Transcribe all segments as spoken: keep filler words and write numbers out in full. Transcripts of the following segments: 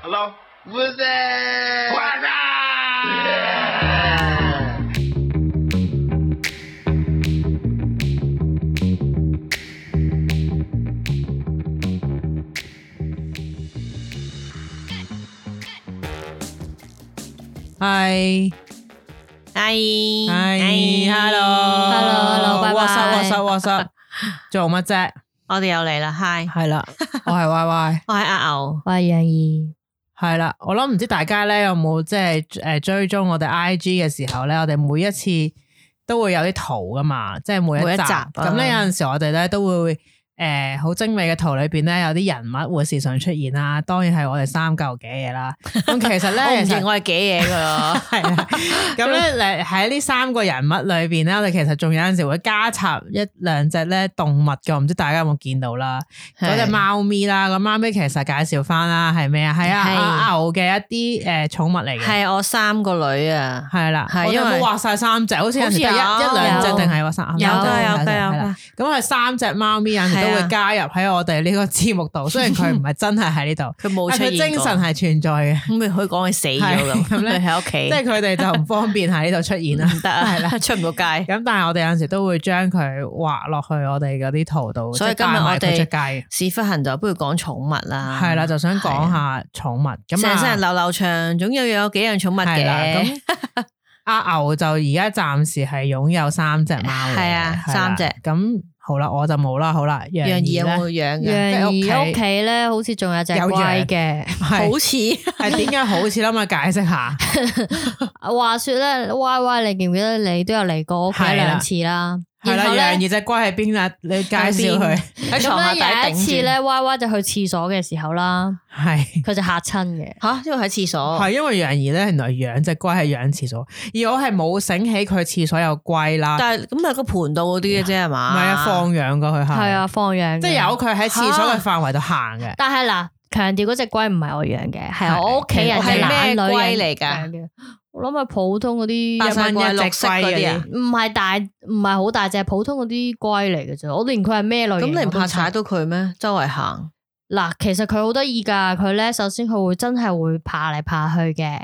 Hello? What's that? What's that? Hi Hi Hi Hello Hello Hello What's up What's up What's up 做乜啫？我哋又嚟啦 Hi 係啦，我係 Y Y， 我係阿牛，我係楊怡。係啦，我諗唔知大家咧有冇即係誒追蹤我哋 I G 嘅時候咧，我哋每一次都會有啲圖噶嘛，即係每一集每一集咁咧，有陣時我哋咧都會誒好精美嘅圖裏邊咧有啲人物會時常出現啦，當然係我哋三嚿嘅嘢啦。咁其實咧，我唔其實認我係幾嘢噶咯，係啊，咁咧誒喺呢三個人物裏邊咧，我哋其實仲有陣時會加插一兩隻咧動物嘅，唔知大家有冇見到啦？嗰隻貓咪啦，個貓咪其實介紹翻啦，係咩啊？係啊，阿牛嘅一啲誒寵物嚟嘅，係我三個女啊，係啦，我哋係因為冇畫晒三隻，好似有陣時得一好似有一兩隻定係話三有㗎隻有㗎係啦有㗎咁係三隻貓咪有陣時都會加入喺我哋呢個節目度，雖然佢唔係真係喺呢度，佢冇出但佢現過精神係存在嘅。咁咪可以講佢死咗咁，咁咧佢喺屋企，即係佢哋就唔方便喺呢度出現啦，唔得啊，係啦。出唔到街。咁但係我哋有陣時都會將佢畫落去我哋嗰啲圖度，所以今日我即係帶埋佢出哋街。屎忽痕就不如講寵物啦，係啦，就想講下寵物。咁成世人啊，流流長，總有有幾樣寵物係啦嘅。咁阿牛就而家暫時係擁有三隻貓嘅，係啊係啦三隻咁好啦，我就冇啦，好啦，楊楊怡有怡咧冇養嘅？楊怡即係屋企屋企咧，好似仲有隻有龜嘅。係好似係點解好似啦？嘛，解釋下。話說咧，Y Y，你記唔記得你都有嚟過屋企係啦兩次啦？係啦，然後楊咧，怡隻龜喺邊啊？你介紹佢。喺床下咁咧有底頂住。一次咧，Y Y 就去廁所嘅時候啦，係佢就嚇親嘅。吓，因為喺廁所。係因為楊怡咧，原來養隻龜係養廁所，而我係冇醒起佢廁所有龜啦。但係咁係個盤度嗰啲嘅啫係唔嘛？係啊，放養噶佢係。係啊，放養嘅。即係由佢喺廁所嘅範圍度行嘅。但係嗱，強調嗰隻龜唔係我養嘅，係我屋企人係嘅咩懶女龜人嚟㗎養嘅。我諗係普通嗰啲白晒一蚊一隻綠色嗰啲啊龜嗰啲。唔係大，唔係好大隻，普通嗰啲龜嚟嘅啫。我連佢係咩類型咁你唔怕我都踩到佢咩？周圍行。嗱，其實佢好得意噶。佢咧首先佢會真係會爬嚟爬去嘅，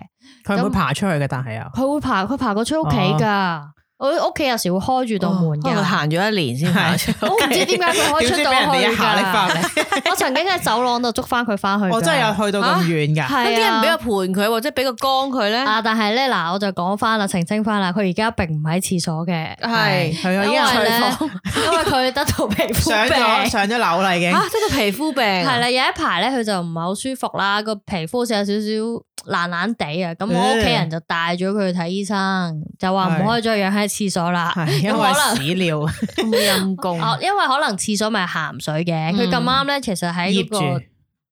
佢唔會爬出去嘅，但係又。佢會爬，佢爬過出屋企噶。我屋企有時會開住道門可能佢噶。行咗一年先爬出。我唔知點解佢可以出到點知俾人哋去一下拎翻㗎。嚟？我曾經喺走廊度捉翻佢翻去㗎。我真係有去到咁遠㗎。係咁啲人啊俾個盤佢，或者俾個缸佢咧？啊！但係咧嗱，我就講翻啦，澄清翻啦，佢而家並唔喺廁所嘅，係係啊，已因經為咧去房，因為佢得到皮膚上咗病。上咗樓啦已經。嚇，即係個皮膚病。係啦，有一排咧，佢就唔係好舒服啦，個皮膚好似有少少爛爛地啊。咁我屋企人就帶咗佢去睇醫生，就話唔可以再養喺廁所啦。係因為咁可能屎尿咁陰公。哦，因為可能廁所咪鹹水嘅，佢咁啱咧，其實喺嗰個醃住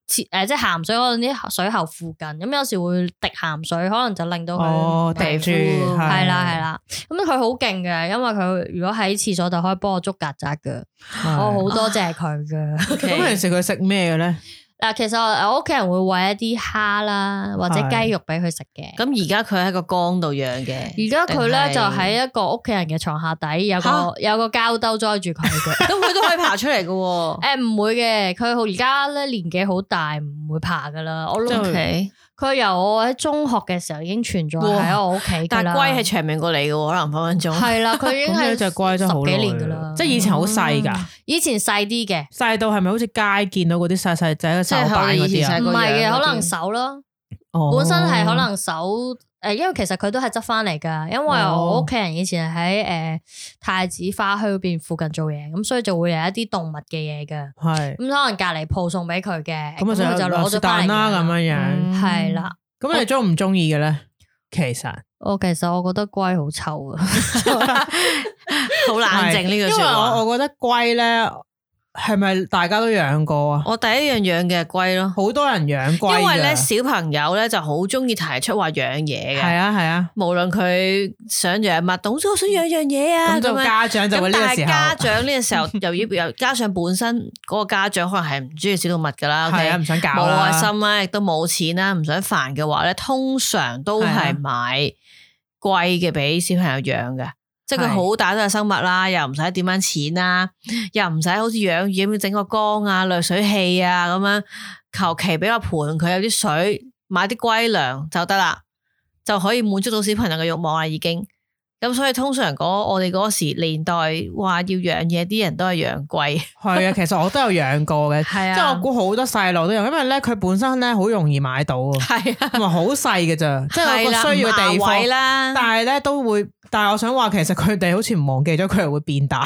廁誒，即係鹹水嗰陣啲水喉附近，咁有時會滴鹹水，可能就令到哦，佢滴住膚係啦係啦。咁佢好勁嘅，因為佢如果喺廁所就可以幫我捉曱甴嘅，我好多謝佢嘅。咁平時佢食咩嘅咧？嗱，其實我屋企人會餵一啲蝦啦，或者雞肉俾佢食嘅。咁而家佢喺個缸度養嘅。而家佢咧就喺一個屋企人嘅床下底，有個嚇有個膠兜裝住佢嘅。咁佢都可以爬出嚟嘅喎。誒唔會嘅，佢而家咧年紀好大，唔會爬噶啦。我諗 OK，佢由我喺中學嘅時候已經存在喺我屋企㗎啦。但係龜係長命過你嘅喎，可能分分鐘。係啦，佢已經係咁呢隻龜真係好十幾耐年噶啦。即係以前好細㗎，以前細啲嘅，細到係咪好似街見到嗰啲細細仔嘅手板嗰啲啊？唔係嘅，個樣嗰啲可能手咯。哦本身係可能手誒，因為其實佢都係執翻嚟噶，因為我屋企人以前喺誒太子花墟嗰邊附近做嘢，咁所以就會有一啲動物嘅嘢噶。係咁可能隔離鋪送俾佢嘅，咁啊佢就攞咗翻嚟蛋啦咁樣嗯樣。係啦，咁你中唔中意嘅咧？其實我其實我覺得龜好臭啊，好冷靜呢句因為説話。我我覺得龜咧係咪大家都養過啊？我第一樣養嘅係龜咯，好多人養龜㗎，因為咧小朋友咧就好中意提出話養嘢嘅。係啊係啊，無論佢想養乜，總之我想養樣嘢啊，咁就樣家長就會呢個時候咁但係家長呢個時候又要又加上本身嗰個家長可能係唔中意小動物噶啦，係啊唔想教啦冇愛心啦，亦都冇錢啦，唔想煩嘅話咧，通常都係買貴嘅俾小朋友養嘅。即係佢好大都係生物啦，又唔使點樣錢啦，又唔使好似養魚咁整個缸啊、濾水器啊咁樣，求其俾個盤佢有啲水買啲龜糧就得啦，就可以滿足到小朋友嘅慾望啦已經。咁所以通常講我哋嗰時年代話要養嘢，啲人都係養龜。係啊，其實我都有養過嘅，係啊，即係我估好多細路都有，因為咧佢本身咧好容易買到，係啊，同埋好細嘅咋，即係有個需要嘅地方啦。但係咧都會，但係我想話其實佢哋好似唔忘記咗佢係會變大。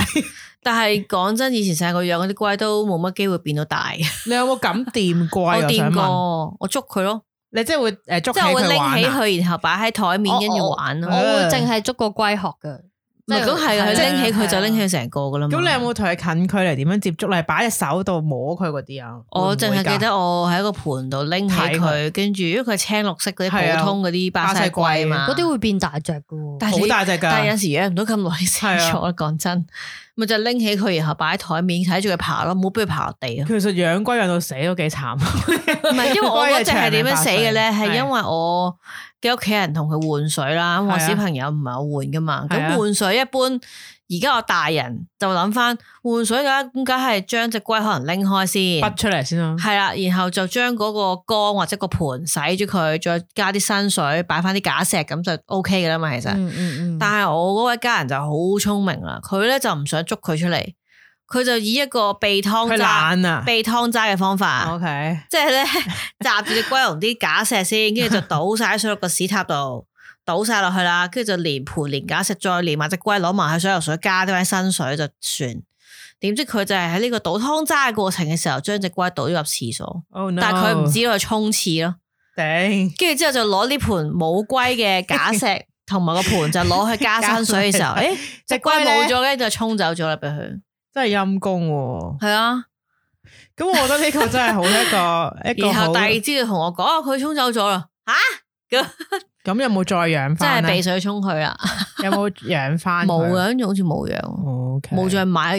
但係講真，以前細個養嗰啲龜都冇乜機會變到大。你有冇咁掂龜？我掂過，我，我捉佢咯。你即係會誒捉起佢玩啊？即係我會拎起佢，然後擺喺台面跟住玩咯。我會淨係捉個龜殼㗎。唔係咁係啊，佢拎起佢就拎起成個噶啦嘛。咁你有冇同佢近距離點樣接觸？你擺隻手度摸佢嗰啲啊？我淨係記得我喺個盤度拎起佢，跟住因為佢係青綠色嗰啲普通嗰啲巴西龜嘛，嗰啲會變大隻噶，但係好大隻噶。但係有時養唔到咁耐死咗，講真，咪就拎起佢，然後擺喺台面睇住佢爬咯，唔好俾佢爬落地啊。其實養龜養到死都幾慘。唔係，因為我嗰隻係點樣死嘅咧？係因為我嘅屋企人同佢換水啦，咁我小朋友唔係我換噶嘛，咁換水一般。而家我大人就諗翻換水嘅話，咁梗係將隻龜可能拎開先，拔出嚟先咯。係啦，然後就將嗰個缸或者個盤洗咗佢，再加啲新水，擺翻啲假石，咁就 O K 嘅啦嘛。其實，嗯嗯嗯、但係我嗰位家人就好聰明啦，佢咧就唔想捉佢出嚟，佢就以一個避湯渣、啊、避湯渣嘅方法。O K， 即係咧集住隻龜用啲假石先，跟住就倒晒水落個屎塔度。倒晒落去啦，跟住就連盤連假石，再連埋隻龜攞埋去水游水，加啲新水就算。點知佢就係喺呢個倒湯渣嘅過程嘅時候，將隻龜倒咗入廁所。Oh no. 但係佢唔知道去沖廁咯。頂。跟住之後就攞呢盤冇龜嘅假石同埋個盤就攞去加新水嘅時候，誒，隻龜冇咗，跟住就沖走咗啦，俾佢。真係陰公。係啊。咁我覺得呢個真係好一個一個。然後第二朝就同我講，佢沖走咗啦。吓咁。咁有冇再養翻？真係避水沖佢啦。有冇養翻？冇啊，跟住好似冇養，冇 Okay. 再買，而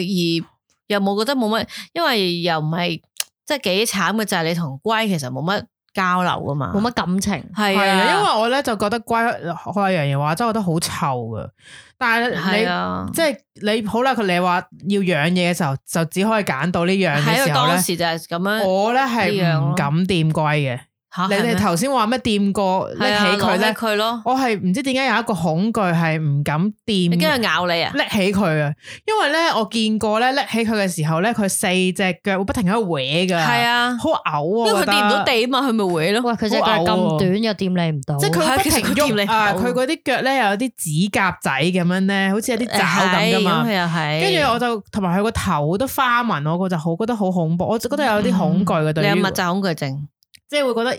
又冇覺得冇乜，因為又唔係即係幾慘嘅，就係、是、你同龜其實冇乜交流噶嘛，冇乜感情。係啊，因為我咧就覺得龜開樣嘢話，真係覺得好臭噶。但係你、啊、即係你好啦，佢你話要養嘢嘅時候，就只可以揀到呢樣嘅時候咧。當時就係咁樣，我咧係唔敢掂龜嘅。你哋頭先話咩掂過拎起佢咧？佢咯，我係唔知點解有一個恐懼係唔敢掂。你驚佢咬你啊？拎起佢啊！因為咧我見過咧拎起佢嘅時候咧，佢四隻腳會不停喺度搲噶。係啊，好嘔啊！因為佢掂唔到地啊嘛，佢咪搲咯。喂，佢隻腳咁短又掂你唔到。即係佢不停喐啊！佢嗰啲腳咧又有啲指甲仔咁樣咧，好似有啲爪咁噶嘛。係啊係。跟住我就同埋佢個頭都花紋，我就好覺得好恐怖。我就覺得有啲恐懼嘅對於。你有密集恐懼症。即係會覺得，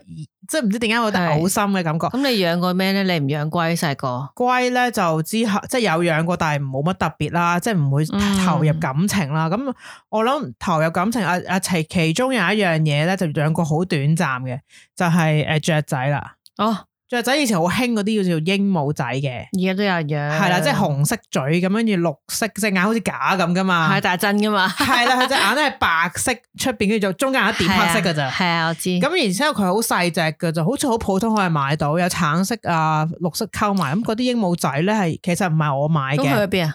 即係唔知點解我覺得嘔心嘅感覺。咁你養過咩咧？你唔養龜細個？龜咧就之後即係有養過，但係冇乜特別啦，即係唔會投入感情啦。咁、嗯、我諗投入感情啊啊其其中有一樣嘢咧，就養過好短暫嘅，就係、是、誒雀仔啦。哦。雀仔以前好興嗰啲叫做鸚鵡仔嘅，而家都有養，係啦，即係紅色嘴咁，跟住綠色隻眼好似假咁噶嘛，係大真噶嘛，係啦，佢隻眼咧係白色出邊，跟住就中間有一點黑色噶咋，係啊，我知。咁然之後佢好細隻噶，就好似好普通可以買到，有橙色啊、綠色溝埋，咁嗰啲鸚鵡仔咧係其實唔係我買嘅。咁去咗邊啊？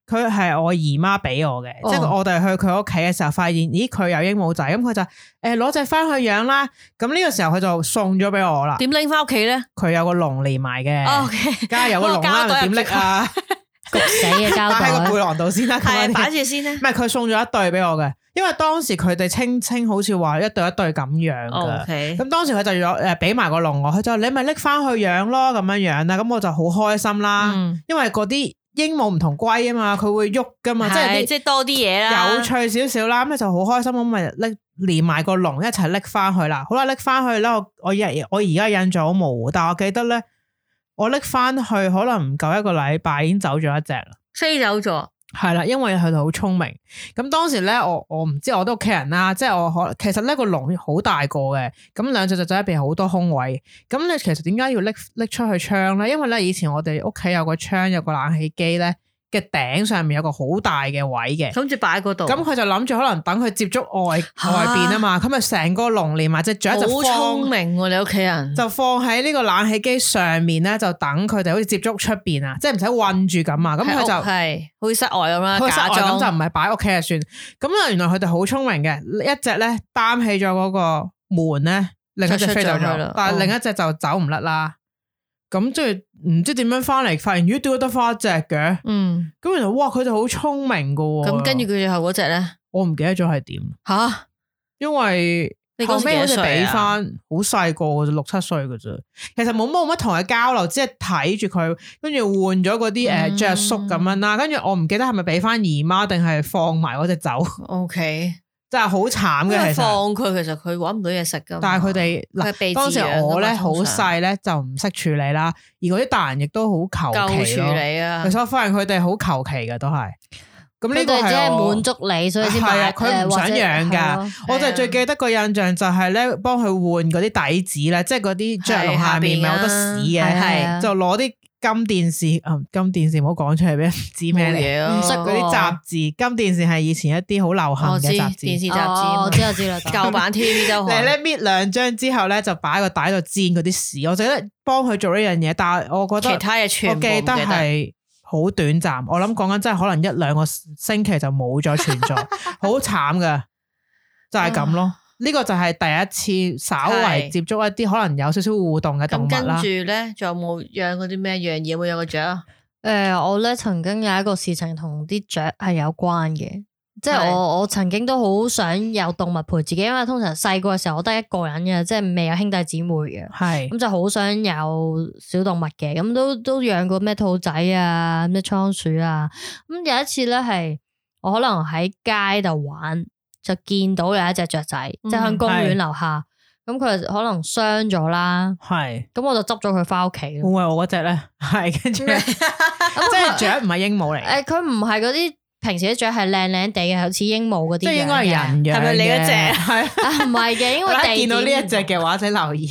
佢係我姨媽俾我嘅，哦、即係我哋去佢屋企嘅時候，發現咦佢有鸚鵡仔，咁佢就誒攞隻翻去養啦。咁呢個時候佢就送咗俾我啦。點拎翻屋企咧？佢有個籠連埋嘅，梗係、哦 okay、有個籠啦，點拎啊？焗死嘅膠袋，擺喺個背囊度先啦。係擺住先咧。唔係佢送咗一對俾我嘅，因為當時佢哋清清好似話一對一對咁養嘅。咁、okay、當時佢就有誒俾埋個籠我，佢就你咪拎翻去養咯，咁樣樣啦。咁我就好開心啦，嗯、因為嗰啲。鸚鵡唔同龜啊嘛，佢會喐噶嘛，是即係即係多啲嘢啦，有趣少少啦，咁你就好開心咁咪拎連埋個籠一齊拎翻去啦。好啦，拎翻去啦，我我日我而家印象好模糊，但係我記得咧，我拎翻去可能唔夠一個禮拜已經走咗一隻啦，飛走咗。係啦，因為佢哋好聰明。咁當時咧，我我唔知我啲屋企人啦，即係我可其實呢個籠好大個嘅，咁兩隻雀仔入邊好多空位。咁你其實點解要拎拎出去窗咧？因為咧以前我哋屋企有個窗，有個冷氣機咧嘅頂上面有個好大嘅位嘅，諗住擺喺嗰度。咁佢就諗住可能等佢接觸外外邊啊嘛，咁咪成個籠連埋隻雀就放。好聰明喎，你屋企人就放喺呢個冷氣機上面咧，就等佢哋好似接觸出邊啊，即係唔使韞住咁啊。咁佢就係好似室外咁啦，假裝咁就唔係擺屋企就算。咁啊，原來佢哋好聰明嘅，一隻咧擔起咗嗰個門咧，另一隻飛走咗，了但係另一隻就走唔甩啦。咁即係唔知點樣翻嚟，發現咦，點解得翻一隻嘅？嗯，咁原來哇，佢哋好聰明噶。咁跟住佢最後嗰隻咧，我唔記得咗係點吓，因為你後尾好似俾翻好細個嘅啫，六七歲嘅啫。其實冇冇乜同佢交流，只係睇住佢，跟住換咗嗰啲誒着宿咁樣啦。跟住我唔記得係咪俾翻姨媽定係放埋嗰隻走。O K。真係好慘嘅，其實放佢，其實佢搵唔到嘢食噶。但係佢哋嗱，當時我咧好細咧就唔識處理啦，而嗰啲大人亦都好求其處理啊。其實我發現佢哋好求其嘅都係。咁呢個係我滿足你，所以先買。佢唔想養噶，我就最記得個印象就係咧，幫佢換嗰啲底子咧，即係嗰啲雀籠下面咪好多屎嘅，就攞啲。金電視啊，金電視唔好講出嚟俾人知咩嚟，唔識嗰啲雜誌。金電視係以前一啲好流行嘅雜誌，電視雜誌。我知我知啦，舊版 T V 周刊。你咧搣兩張之後咧，就擺個袋度煎嗰啲屎。我就覺得幫佢做呢樣嘢，但係我覺得其他嘢全部唔記得。我記得係好短暫。我諗講緊真係可能一兩個星期就冇咗存在，好慘噶，就係咁咯。呢個就係第一次稍為接觸一啲可能有少少互動嘅動物啦。咁跟住咧，仲有冇養嗰啲咩樣嘢？有冇養過雀啊？誒、呃，我咧曾經有一個事情同啲雀係有關嘅，即係我我曾經都好想有動物陪自己，因為通常細個嘅時候我得一個人嘅，即係未有兄弟姊妹嘅，係咁就好想有小動物嘅，咁都都養過咩兔仔啊、咩倉鼠啊，咁有一次咧係我可能喺街度玩。就見到有一隻雀仔，即係喺公園樓下，咁佢可能傷咗啦，係，咁我就執咗佢翻屋企。會唔會我嗰隻咧？係，跟住，即係雀唔係鸚鵡嚟。誒，佢唔係嗰啲平時啲雀係靚靚地嘅，好似鸚鵡嗰啲。即係應該係人養嘅，係咪你嗰隻？係，唔係嘅，因為地見到呢一隻嘅話，請留意。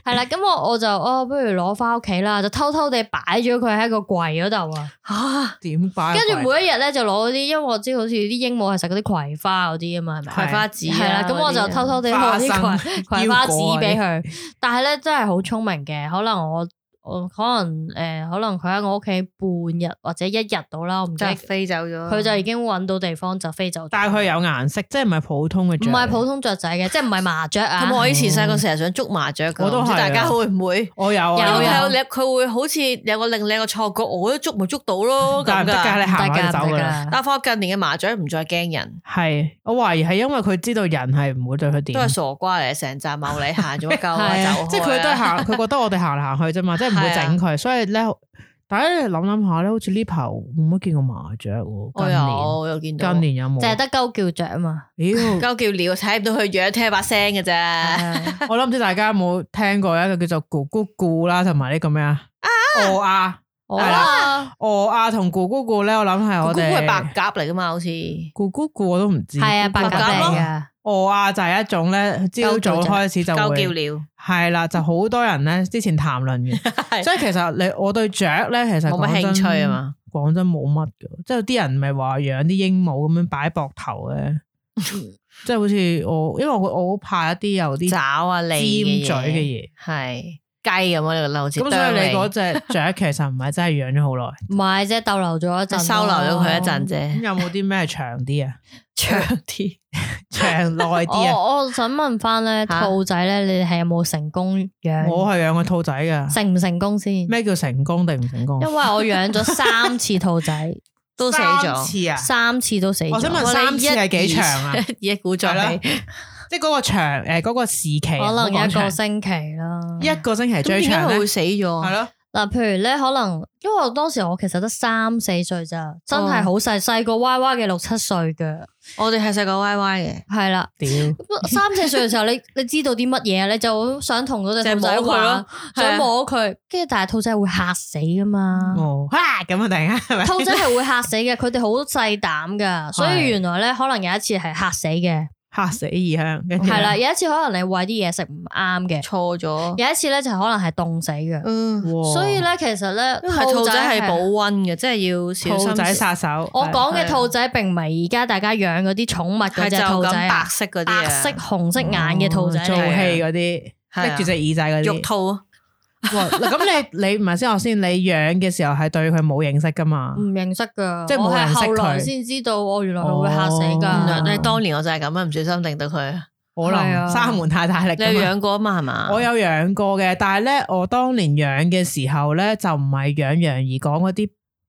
係啦，咁我我就哦，不如攞翻屋企啦，就偷偷地擺咗佢喺個櫃嗰度啊。吓，點擺？跟住每一日咧就攞嗰啲，因為我知好似啲鸚鵡係食嗰啲葵花嗰啲啊嘛，係咪？葵花籽係啦，咁我就偷偷地攞啲葵葵花籽俾佢。但係咧真係好聰明嘅，可能我。我可能誒、呃，可能佢喺我屋企半日或者一日到啦，我唔記得飛走咗，佢就已經揾到地方就飛走咗。但係佢有顏色，即係唔係普通嘅雀，唔係普通雀仔嘅，即係唔係麻雀啊。咁我以前細個成日想捉麻雀嘅，我都係。大家會唔會？我有，有有佢會好似有個另靚嘅錯覺，我都捉咪捉到咯咁噶。但係你行開走噶啦。但係我近年嘅麻雀唔再驚人，係我懷疑係因為佢知道人係唔會對佢點，都係傻瓜嚟，成扎茂利行咗鳩啊走，即係佢都係行，佢覺得我哋行嚟行去啫嘛，即係唔會整佢，所以。所以咧，大家諗諗下咧，好似呢排冇乜見過麻雀喎。我有，我有見到。近年有冇？淨係得鳩叫雀啊嘛。妖，鳩叫鳥睇唔到佢樣，聽把聲嘅啫。我諗唔知大家有冇聽過一個叫做咕咕咕啦，同埋呢個咩啊？鵝鴨係啦，鵝鴨同咕咕咕咧，我諗係我哋。咕咕係白鴿嚟噶嘛？好似咕咕咕我都唔知。係啊，白鴿嚟噶。鵝啊，就係一種咧，朝早開始就會鳩叫鳥，係啦，就好多人咧之前談論嘅，所以其實你我對雀咧，其實冇乜興趣啊嘛，講真冇乜噶，即係有啲人咪話養啲鸚鵡咁樣擺膊頭嘅，即係好似我，因為我我好怕一啲有啲爪啊、尖嘴嘅嘢，係雞咁啊，你好似咁，所以你嗰隻雀其實唔係真係養咗好耐，唔係啫，逗留咗一陣，收留咗佢一陣啫。咁有冇啲咩長啲啊？長啲。長耐啲啊！我我想問翻咧，兔仔咧，你哋係有冇成功養？我係養過兔仔噶，成唔成功先？咩叫成功定唔成功？因為我養咗三次兔仔，都死咗。三次啊！三次都死咗。我想問三次係幾長啊？一鼓作氣，即係嗰個長誒，嗰個時期可能一個星期啦。一個星期最長咧，會死咗。係咯。嗱，譬如咧，可能因為我當時我其實得三四歲咋，真係好細，細個歪歪嘅六七歲嘅。我哋係細個歪歪嘅，係啦。屌，三四歲嘅時候，你你知道啲乜嘢啊？你就想同嗰隻兔仔玩，想摸佢，跟住但係兔仔會嚇死噶嘛。哦，吓咁啊！突然間係咪？兔仔係會嚇死嘅，佢哋好細膽噶，所以原來咧可能有一次係嚇死嘅。嚇死異鄉，係啦，有一次可能你餵啲嘢食唔啱嘅，錯咗。有一次咧就可能係凍死嘅，嗯，所以咧其實咧兔仔係保溫嘅，即係要小心。兔仔殺手，我講嘅兔仔並唔係而家大家養嗰啲寵物嗰隻兔仔，白色嗰啲，白色紅色眼嘅兔仔，做戲嗰啲，拎住隻耳仔嗰啲，肉兔。哇！咁你你唔係先我先，你養嘅時候係對佢冇認識噶嘛？唔認識噶，即係冇人識佢，後來先知道，我原來佢會嚇死噶。你當年我就係咁樣，唔小心令到佢。可能閂門太大力。你有養過啊嘛？係嘛？我有養過嘅，但係咧，我當年養嘅時候咧，就唔係養楊怡講嗰啲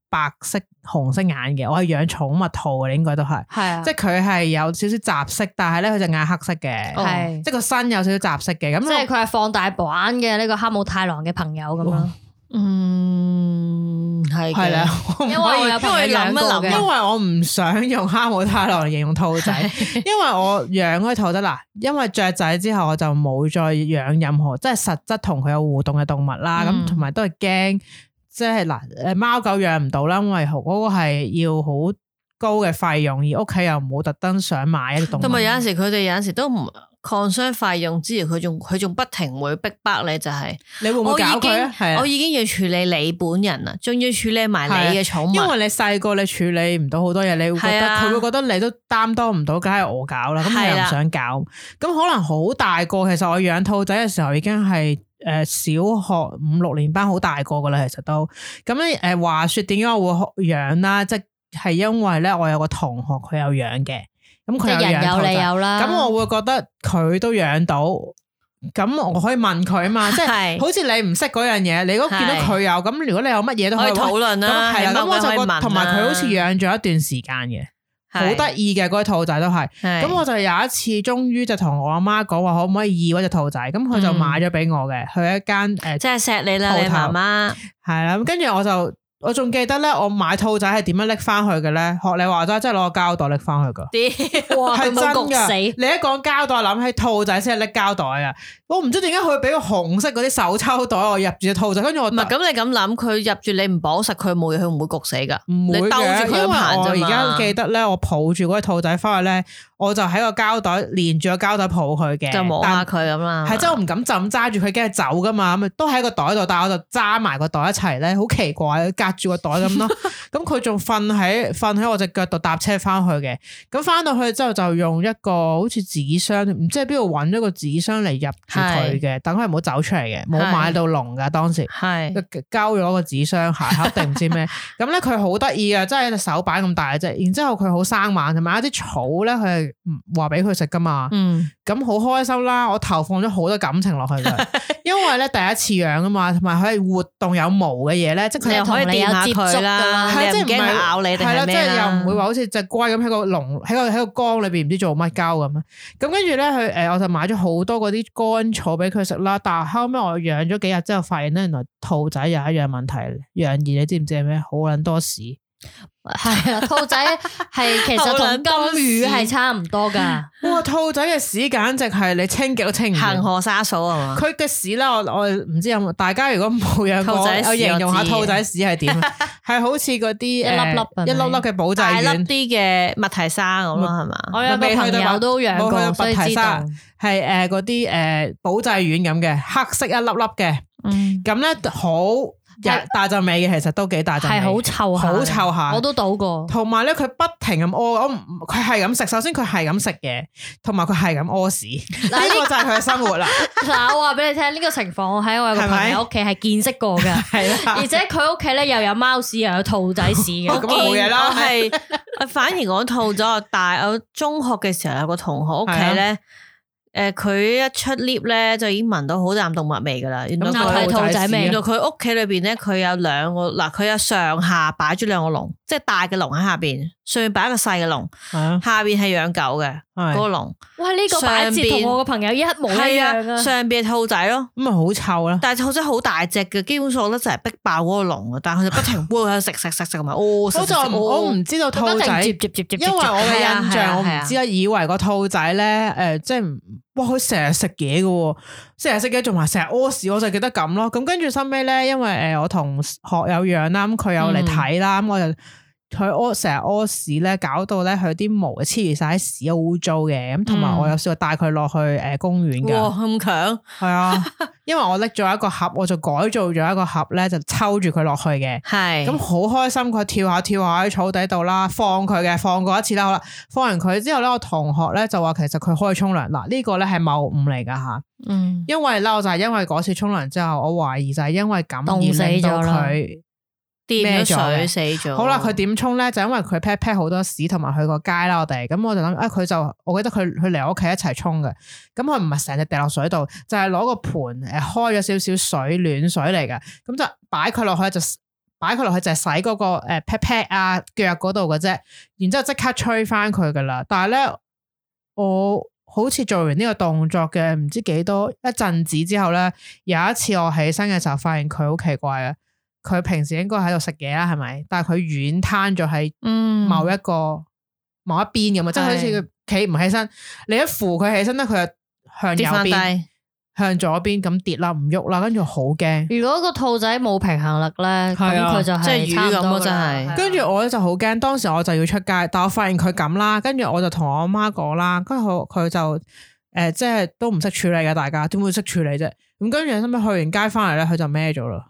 白色、紅色眼嘅，我係養寵物兔嘅，應該都係。係啊，即係佢係有少少雜色，但係咧佢隻眼黑色嘅，係、哦、即係個身有少少雜色嘅。咁即係佢係放大版嘅呢個哈姆太郎嘅朋友咁咯。嗯，係係啦，因為我有朋友養過嘅，因為我唔想用哈姆太郎嚟形容兔仔，因為我養嗰啲兔仔嗱，因為雀仔之後我就冇再養任何即係實質同佢有互動嘅動物啦，咁同埋都係驚，即係嗱，誒貓狗養唔到啦，因為嗰個係要好高嘅費用，而屋企又冇特登想買一啲動物，同埋有陣時佢哋有陣時都唔。抗傷費用之餘，佢仲佢仲不停會逼迫你，就係、是、你會唔會搞佢啊？係啊，我已經要處理你本人啦，仲要處理埋你嘅寵物。因為你細個你處理唔到好多嘢，你會覺得佢、啊、會覺得你都擔當唔到，梗係我搞啦。咁你又唔想搞，咁、啊、可能好大個。其實我養兔仔嘅時候已經係誒小學五六年班，好大個噶啦。其實都咁咧誒，話說點解我會養啦？即係因為咧，我有個同學佢有養嘅。咁佢有養兔仔，咁我會覺得佢都養到，咁我可以問佢啊嘛，即係好似你唔識嗰樣嘢，你如果見到佢有，咁如果你有乜嘢都可以討論啦。係啦，咁我就覺得同埋佢好似養咗一段時間嘅，好得意嘅嗰啲兔仔都係。咁我就有一次終於就同我阿媽講話，可唔可以要嗰隻兔仔？咁佢就買咗俾我嘅，去一間誒，即係錫你啦，你媽媽係啦。咁跟住我就。我仲記得咧，我買兔仔係點樣拎翻去嘅咧？學你話齋，即係攞個膠袋拎翻去噶。哇，係真噶！你一講膠袋，諗起兔仔先係拎膠袋啊！我唔知點解佢會俾個紅色嗰啲手抽袋我入住隻兔仔，跟住我唔係咁你咁諗，佢入住你唔綁實佢冇嘢，佢唔會焗死噶。唔會嘅，因為我而家記得咧，我抱住嗰隻兔仔翻去咧，我就喺個膠袋連住個膠袋抱佢嘅，就摸下佢咁啦。係真係我唔敢就咁揸住佢，驚佢走噶嘛，咁都喺個袋度，但係我就揸埋個袋一齊咧，好奇怪，隔住個袋咁咯。咁佢仲瞓喺瞓喺我隻腳度搭車翻去嘅。咁翻到去之後就用一個好似紙箱，唔知喺邊度揾咗個紙箱嚟入住佢嘅，等佢唔好走出嚟嘅，冇買到籠噶當時，係交咗個紙箱鞋盒定唔知咩。咁咧佢好得意嘅，真係隻手板咁大嘅啫。然之後佢好生猛，同埋一啲草咧，佢係話俾佢食噶嘛。嗯，咁好開心啦！我投放咗好多感情落去嘅，因為咧第一次養啊嘛，同埋佢係活動有毛嘅嘢咧，即係佢又可以掂下佢啦，係即係唔驚佢咬你定係咩啦？即係又唔會話好似隻龜咁喺個籠喺個喺個缸裏邊唔知做乜鳩咁啊！咁跟住咧佢誒，我就買咗好多嗰啲乾草俾佢食啦。但係後尾我養咗幾日之後，發現咧原來兔仔有一樣問題，楊怡你知唔知係咩？好撚多屎。係啊，兔仔係其實同金魚係差唔多噶。哇，兔仔嘅屎簡直係你清極都清唔完。恒河沙數啊嘛。佢嘅屎啦，我我唔知有冇。大家如果冇養過，我形容下兔仔屎係點？係好似嗰啲一粒粒、一粒粒嘅保濟丸，大粒啲嘅麥提沙咁咯，係嘛？我有個朋友都養過，所以知道係誒嗰啲誒保濟丸咁嘅，黑色一粒粒嘅。嗯，咁咧好。大陣味嘅，其實都幾大陣味，係好臭，好臭下。我都倒過。同埋咧，佢不停咁屙，我佢係咁食。首先佢係咁食嘢，同埋佢係咁屙屎。呢個就係佢嘅生活啦。嗱，我話俾你聽，呢個情況我喺我有個朋友屋企係見識過嘅，係啦。而且佢屋企咧又有貓屎又有兔仔屎嘅，咁冇嘢啦。係，反而講兔咗，但係我中學嘅時候有個同學屋企咧。誒，佢、呃、一出 lift 咧，就已經聞到好淡動物味噶啦。原來佢兔仔味。原來佢屋企裏邊咧，佢有兩個嗱，佢有上下擺咗兩個籠，即係大嘅籠喺下邊，上面擺一個細嘅籠，啊、下邊係養狗嘅嗰個籠。哇！呢、這個擺設同我個朋友一模一樣啊！上邊係兔仔咯，咁咪好臭啦。但係兔仔好大隻嘅，基本上咧就係逼爆嗰個籠啊！但係佢就不停喺度食食食食同埋屙食食。我唔知道兔仔，因為我嘅印象我唔知啊，以為個兔仔咧誒，即係哇佢成日食嘢嘅，成日食嘢仲話成日屙屎，我就記得咁咯。咁跟住收尾咧，因為誒我同學有養啦，咁佢有嚟睇啦，咁我就。佢屙成日屙屎咧，搞到咧佢啲毛黐住晒啲屎，好污糟嘅。咁同埋我有試過帶佢落去誒公園噶。哇，咁強！係啊，因為我拎咗一個盒，我就改造咗一個盒咧，就抽住佢落去嘅。係咁好開心，佢跳下跳下喺草地度啦，放佢嘅，放過一次啦，好啦，放完佢之後咧，我同學咧就話其實佢可以沖涼。嗱，呢個咧係謬誤嚟噶吓。嗯，因為咧我就係因為嗰次沖涼之後，我懷疑就係因為咁而令到佢。掂咗水死咗。好啦，佢點沖咧？就因為佢 pat pat 好多屎，同埋去個街啦，我哋咁我就諗啊，佢就我記得佢佢嚟我屋企一齊沖嘅。咁佢唔係成隻掉落水度，就係、是、攞個盤誒開咗少少水，暖水嚟嘅。咁就擺佢落去就擺佢落去就係洗嗰、那個誒 pat pat 啊腳嗰度嘅啫。然之後即刻吹翻佢噶啦。但係咧，我好似做完呢個動作嘅唔知幾多一陣子之後咧，有一次我起身嘅時候，發現佢好奇怪啊！佢平時應該喺度食嘢啦，係咪？但係佢軟攤咗喺某一個、嗯、某一邊咁啊，即係好似佢企唔起身，你一扶佢起身咧，佢就向右邊、向左邊咁跌啦，唔喐啦，跟住好驚。如果個兔仔冇平衡力咧，咁佢、啊、就係即係魚咁咯，真係。跟住我咧就好驚，當時我就要出街，但我發現佢咁啦，跟住我就同我阿媽講啦，跟住佢佢就誒、呃，即係都唔識處理嘅，大家點會識處理啫？咁跟住後尾去完街翻嚟咧，佢就孭咗啦。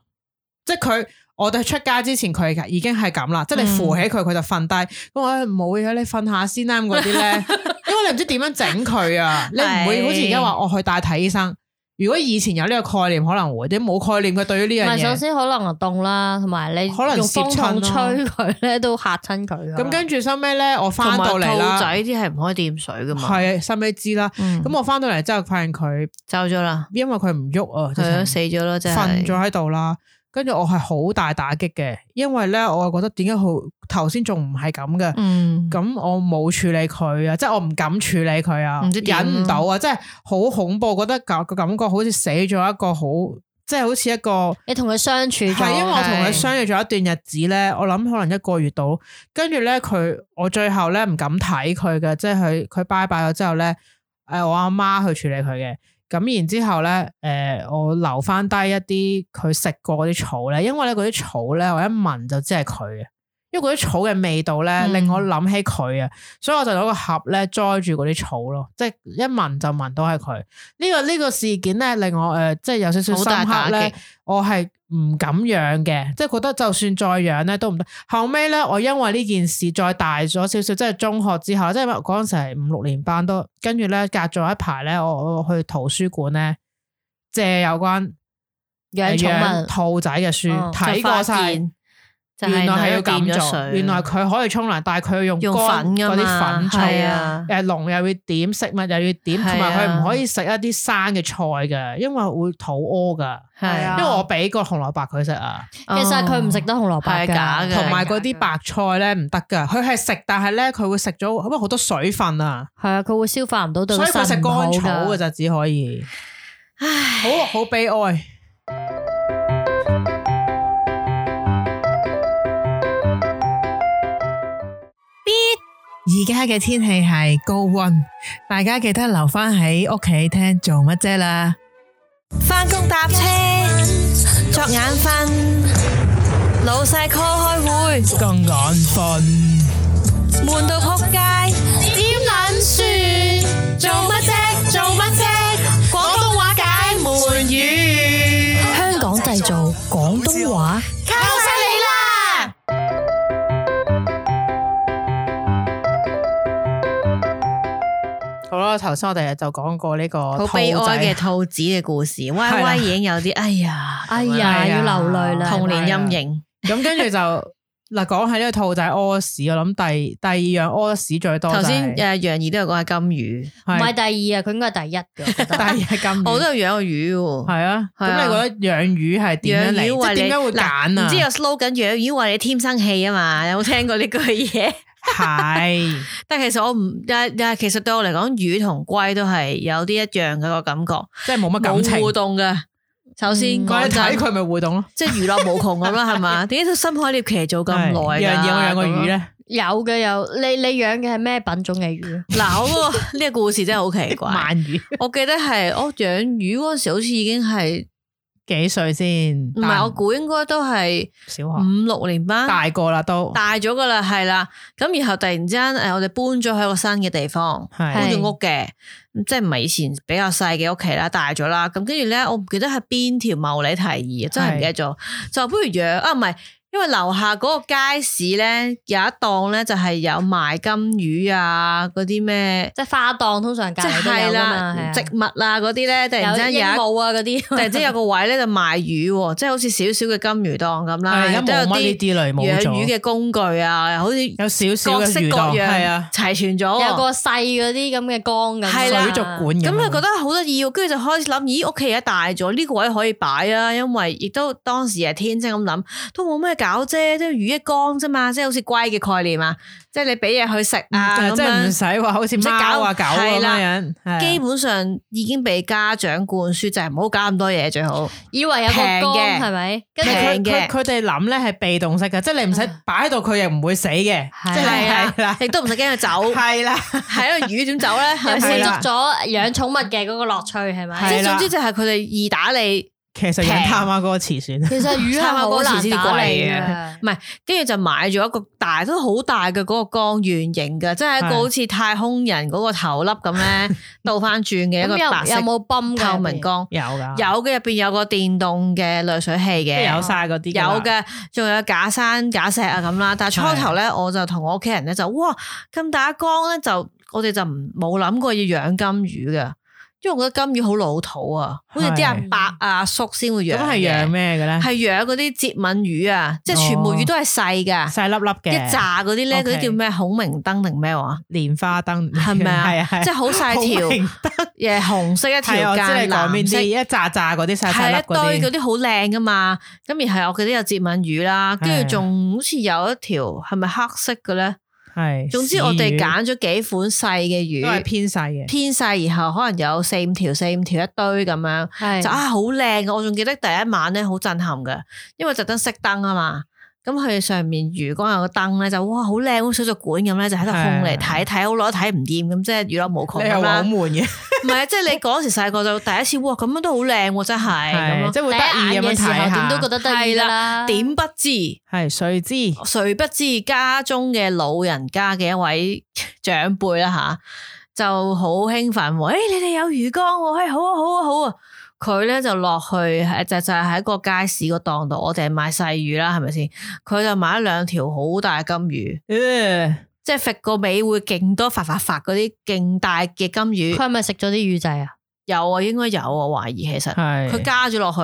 即係佢，我哋出街之前佢已經係咁啦。即係你扶起佢，佢就瞓低。咁我冇嘢，你瞓下先啦。咁嗰啲咧，因為你唔知點樣整佢啊。你唔會好似而家話我去帶睇醫生。如果以前有呢個概念，可能會啲冇概念嘅對於呢樣嘢。首先可能凍啦，同埋你可能用風筒吹佢咧，都嚇親佢。咁跟住收尾咧，我翻到嚟啦。兔仔啲係唔可以掂水噶嘛。係，收尾知啦。咁、嗯、我翻到嚟之後，發現佢走咗啦，因為佢唔喐啊，係啊，死咗咯，真係瞓咗喺度啦。跟住我係好大打擊嘅，因為咧我覺得點解好頭先仲唔係咁嘅，咁、嗯、我冇處理佢啊，即係我唔敢處理佢啊，忍唔到啊，即係好恐怖，覺得個個感覺好似死咗一個好，即係好似一個你同佢相處咗，係因為我同佢相處咗一段日子咧，我諗可能一個月到，跟住咧佢我最後咧唔敢睇佢嘅，即係佢佢拜拜咗之後咧，誒我阿媽去處理佢嘅。咁然之後咧，誒、呃，我留翻低一啲佢食過嗰啲草咧，因為咧嗰啲草咧，我一聞就知係佢嘅，因為嗰啲草嘅味道咧、嗯、令我諗起佢啊，所以我就攞個盒咧裝住嗰啲草咯，即係一聞就聞到係佢。呢、這個呢、這個事件咧令我誒、呃，即係有少少深刻咧，我係唔敢養嘅，即係覺得就算再養咧都唔得。後尾咧，我因為呢件事再大咗少少，即係中學之後，即係嗰陣時係五六年班都，跟住咧隔咗一排咧，我我去圖書館咧借有關養寵物兔仔嘅書睇、哦、過晒。原來係要咁做，原來佢可以沖涼，但係佢要用乾嗰啲粉沖，誒籠又要點，食物又要點，同埋佢唔可以食一啲生嘅菜嘅，因為會肚屙噶。係啊，因為我俾個紅蘿蔔佢食啊，其實佢唔食得紅蘿蔔噶，同埋嗰啲白菜咧唔得噶，佢係食，但係咧佢會食咗，因為好多水分啊。係啊，佢會消化唔到，對，所以佢食乾草嘅就只可以。唉，好好悲哀。而家嘅天氣係高溫，大家記得留翻喺屋企聽做乜啫啦？返工搭車作眼瞓，老細 call 開會更眼瞓，悶到仆街點撚算？做乜啫？做乜啫？廣東話解悶語，香港製造廣東話。好啦，頭先我哋就講過呢個好悲哀嘅兔子嘅故事，歪歪已經有啲哎呀，哎呀要流淚啦，童年陰影。咁跟住就嗱，講起呢個兔仔屙屎，我諗第第二樣屙屎最多。頭先誒楊怡都有講係金魚，唔係第二啊，佢應該係第一嘅。第二係金魚，我都有養過魚喎。係啊，咁你覺得養魚係點樣嚟？即係點解會揀啊？唔知有 slogan 養魚話你天生氣啊嘛？有冇聽過呢句嘢？係，但係其實我唔，但但係其實對我嚟講，魚同龜都係有啲一樣嘅個感覺，即係冇乜感情，冇互動嘅。首先，我睇佢咪互動咯，即係娛樂無窮咁啦，係嘛？點解都深海獵奇做咁耐？養養養個魚咧，有嘅有，你你養嘅係咩品種嘅魚？嗱，我嗰個呢個故事真係好奇怪。鰻魚，我記得係我養魚嗰陣時，好似已經係。幾歲先？唔係，我估應該都係小學五六年班，大個啦都大咗噶啦，係啦。咁然後突然之間，誒，我哋搬咗去一個新嘅地方，搬咗屋嘅，即係唔係以前比較細嘅屋企啦，大咗啦。咁跟住咧，我唔記得係邊條茂利提議，真係唔記得咗，就不如養啊，唔係因為樓下嗰個街市咧有一檔咧就係有賣金魚啊嗰啲咩，即係花檔通常隔籬都有噶嘛，植物啊嗰啲咧突然之間有鸚鵡啊嗰啲，突然之間有個位咧就賣魚，即係好似少少嘅金魚檔咁啦，而家冇乜呢啲類冇咗，養魚嘅工具啊，好似有少少嘅魚檔係啊，齊全咗，有個細嗰啲咁嘅缸咁，水族館咁，咁啊覺得好得意，跟住就開始諗，咦屋企而家大咗，呢個位可以擺啊，因為亦都當時係天真咁諗，都冇咩搞啫，即係魚一缸啫嘛，即係好似龜嘅概念啊，即係你俾嘢佢食啊，即係唔使話好似貓啊狗咁樣樣，基本上已經被家長灌輸，就係唔好搞咁多嘢最好，以為有個缸係咪？平嘅，佢哋諗咧係被動式嘅，即係你唔使擺喺度，佢又唔會死嘅，即係啦，亦都唔使驚佢走，係啦，係因為魚點走咧？又滿足咗養寵物嘅嗰個樂趣係咪？即係總之就係佢哋易打理。其實養貪媽嗰個慈算，其實魚係好難打理嘅，唔係，跟住就買咗一個大都好大嘅嗰個缸，圓形嘅，即係一個好似太空人嗰個頭粒咁咧，倒翻轉嘅一個白色有冇泵透明缸？有噶，有嘅，入邊有個電動嘅濾水器嘅，有晒嗰啲，有嘅，仲有假山假石啊咁啦。但係初頭咧，我就同我屋企人咧就哇咁大一缸咧，就我哋就唔冇諗過要養金魚嘅。因為我覺得金魚好老土啊，好似啲阿伯阿叔先會養。咁係養咩嘅咧？係養嗰啲節吻魚啊，即係全部魚都係細噶，細粒粒嘅。一紮嗰啲咧，嗰啲叫咩孔明燈定咩話？蓮花燈係咪啊？係啊，即係好細條，誒紅色一條間，藍色一紮紮嗰啲細細粒嗰啲。係一堆嗰啲好靚噶嘛。咁然後我記得有節吻魚啦，跟住仲好似有一條係咪黑色嘅咧？係，總之我哋揀咗幾款細嘅魚，都係偏細嘅，偏細，然後可能有四五條、四五條一堆咁樣，就啊好靚嘅。我仲記得第一晚咧好震撼嘅，因為特登熄燈啊嘛，咁佢上面魚缸有個燈咧，就哇好靚，好似水族館咁咧，就喺度控嚟睇睇好耐都睇唔掂，咁即係娛樂無窮咁啦。好悶嘅，唔係即係你嗰時細個就第一次，哇咁樣都好靚喎，真係咁即係會得意咁樣睇下，點都覺得得意啦。點不知係誰知誰不知家中嘅老人家嘅一位長輩啦吓，就好興奮，誒、欸、你哋有魚缸喎，誒、欸、好啊好啊好啊！佢咧就落去，就就係喺個街市個檔度，我哋係賣細魚啦，係咪先？佢就買咗兩條好大金魚，呃、即係揈個尾會勁多發發發嗰啲勁大嘅金魚。佢係咪食咗啲魚仔啊？有啊，應該有啊，懷疑其實佢加咗落去，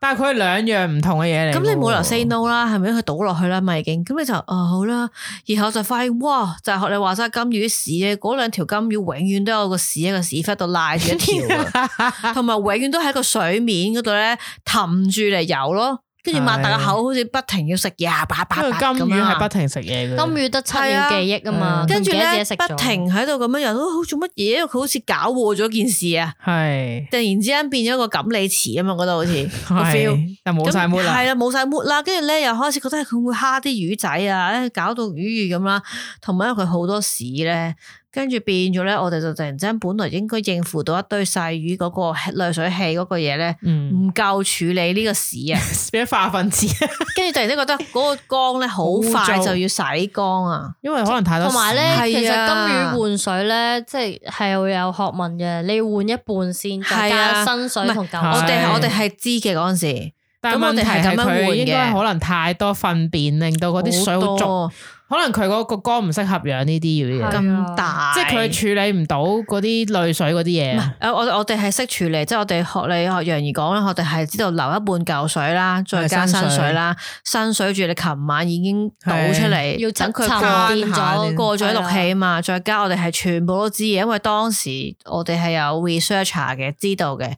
但係佢係兩樣唔同嘅嘢嚟。咁你冇理由 say no 啦，係咪？佢倒落去啦，咪已經咁你就啊、哦、好啦，然後就發現哇，就係、是、學你話齋金魚屎咧，嗰兩條金魚永遠都有個屎喺個屎忽度拉住一條，同埋永遠都喺個水面嗰度咧氹住嚟游咯。跟住擘大個口，好似不停要食嘢，叭叭叭咁啊！金魚係不停食嘢嘅，金魚得七秒記憶啊嘛，跟住咧不停喺度咁樣樣，都好做乜嘢？因為佢好似搞禍咗件事啊！係突然之間變咗個錦鯉池啊嘛，覺得好似個 feel，但冇晒 mood 啦，係啦冇晒 mood啦，跟住咧又開始覺得佢會蝦啲魚仔啊，搞到魚魚咁啦，同埋因為佢好多屎咧。跟住變咗咧，我哋就突然之間，本來應該應付到一堆細魚嗰個濾水器嗰個嘢咧，唔夠、嗯、處理呢個屎啊，變咗化糞池。跟住突然間覺得嗰個缸咧好快就要洗缸啊，因為可能太多。同埋咧，啊、其實金魚換水咧，即係係會有學問嘅，你要換一半先，再加新水同舊水。我哋我哋係知嘅嗰陣時，但係問題係佢應該可能太多糞便，令到嗰啲水好濁。可能佢嗰個缸唔適合養呢啲魚嘅，咁大，即係佢處理唔到嗰啲濾水嗰啲嘢。誒，我我哋係識處理，即係我哋學你學楊怡講啦，我哋係知道留一半舊水啦，再加新水啦，新水住你琴晚已經倒出嚟，要等佢乾咗，過咗氯氣啊嘛，再加我哋係全部都知嘅，因為當時我哋係有 researcher 嘅，知道嘅。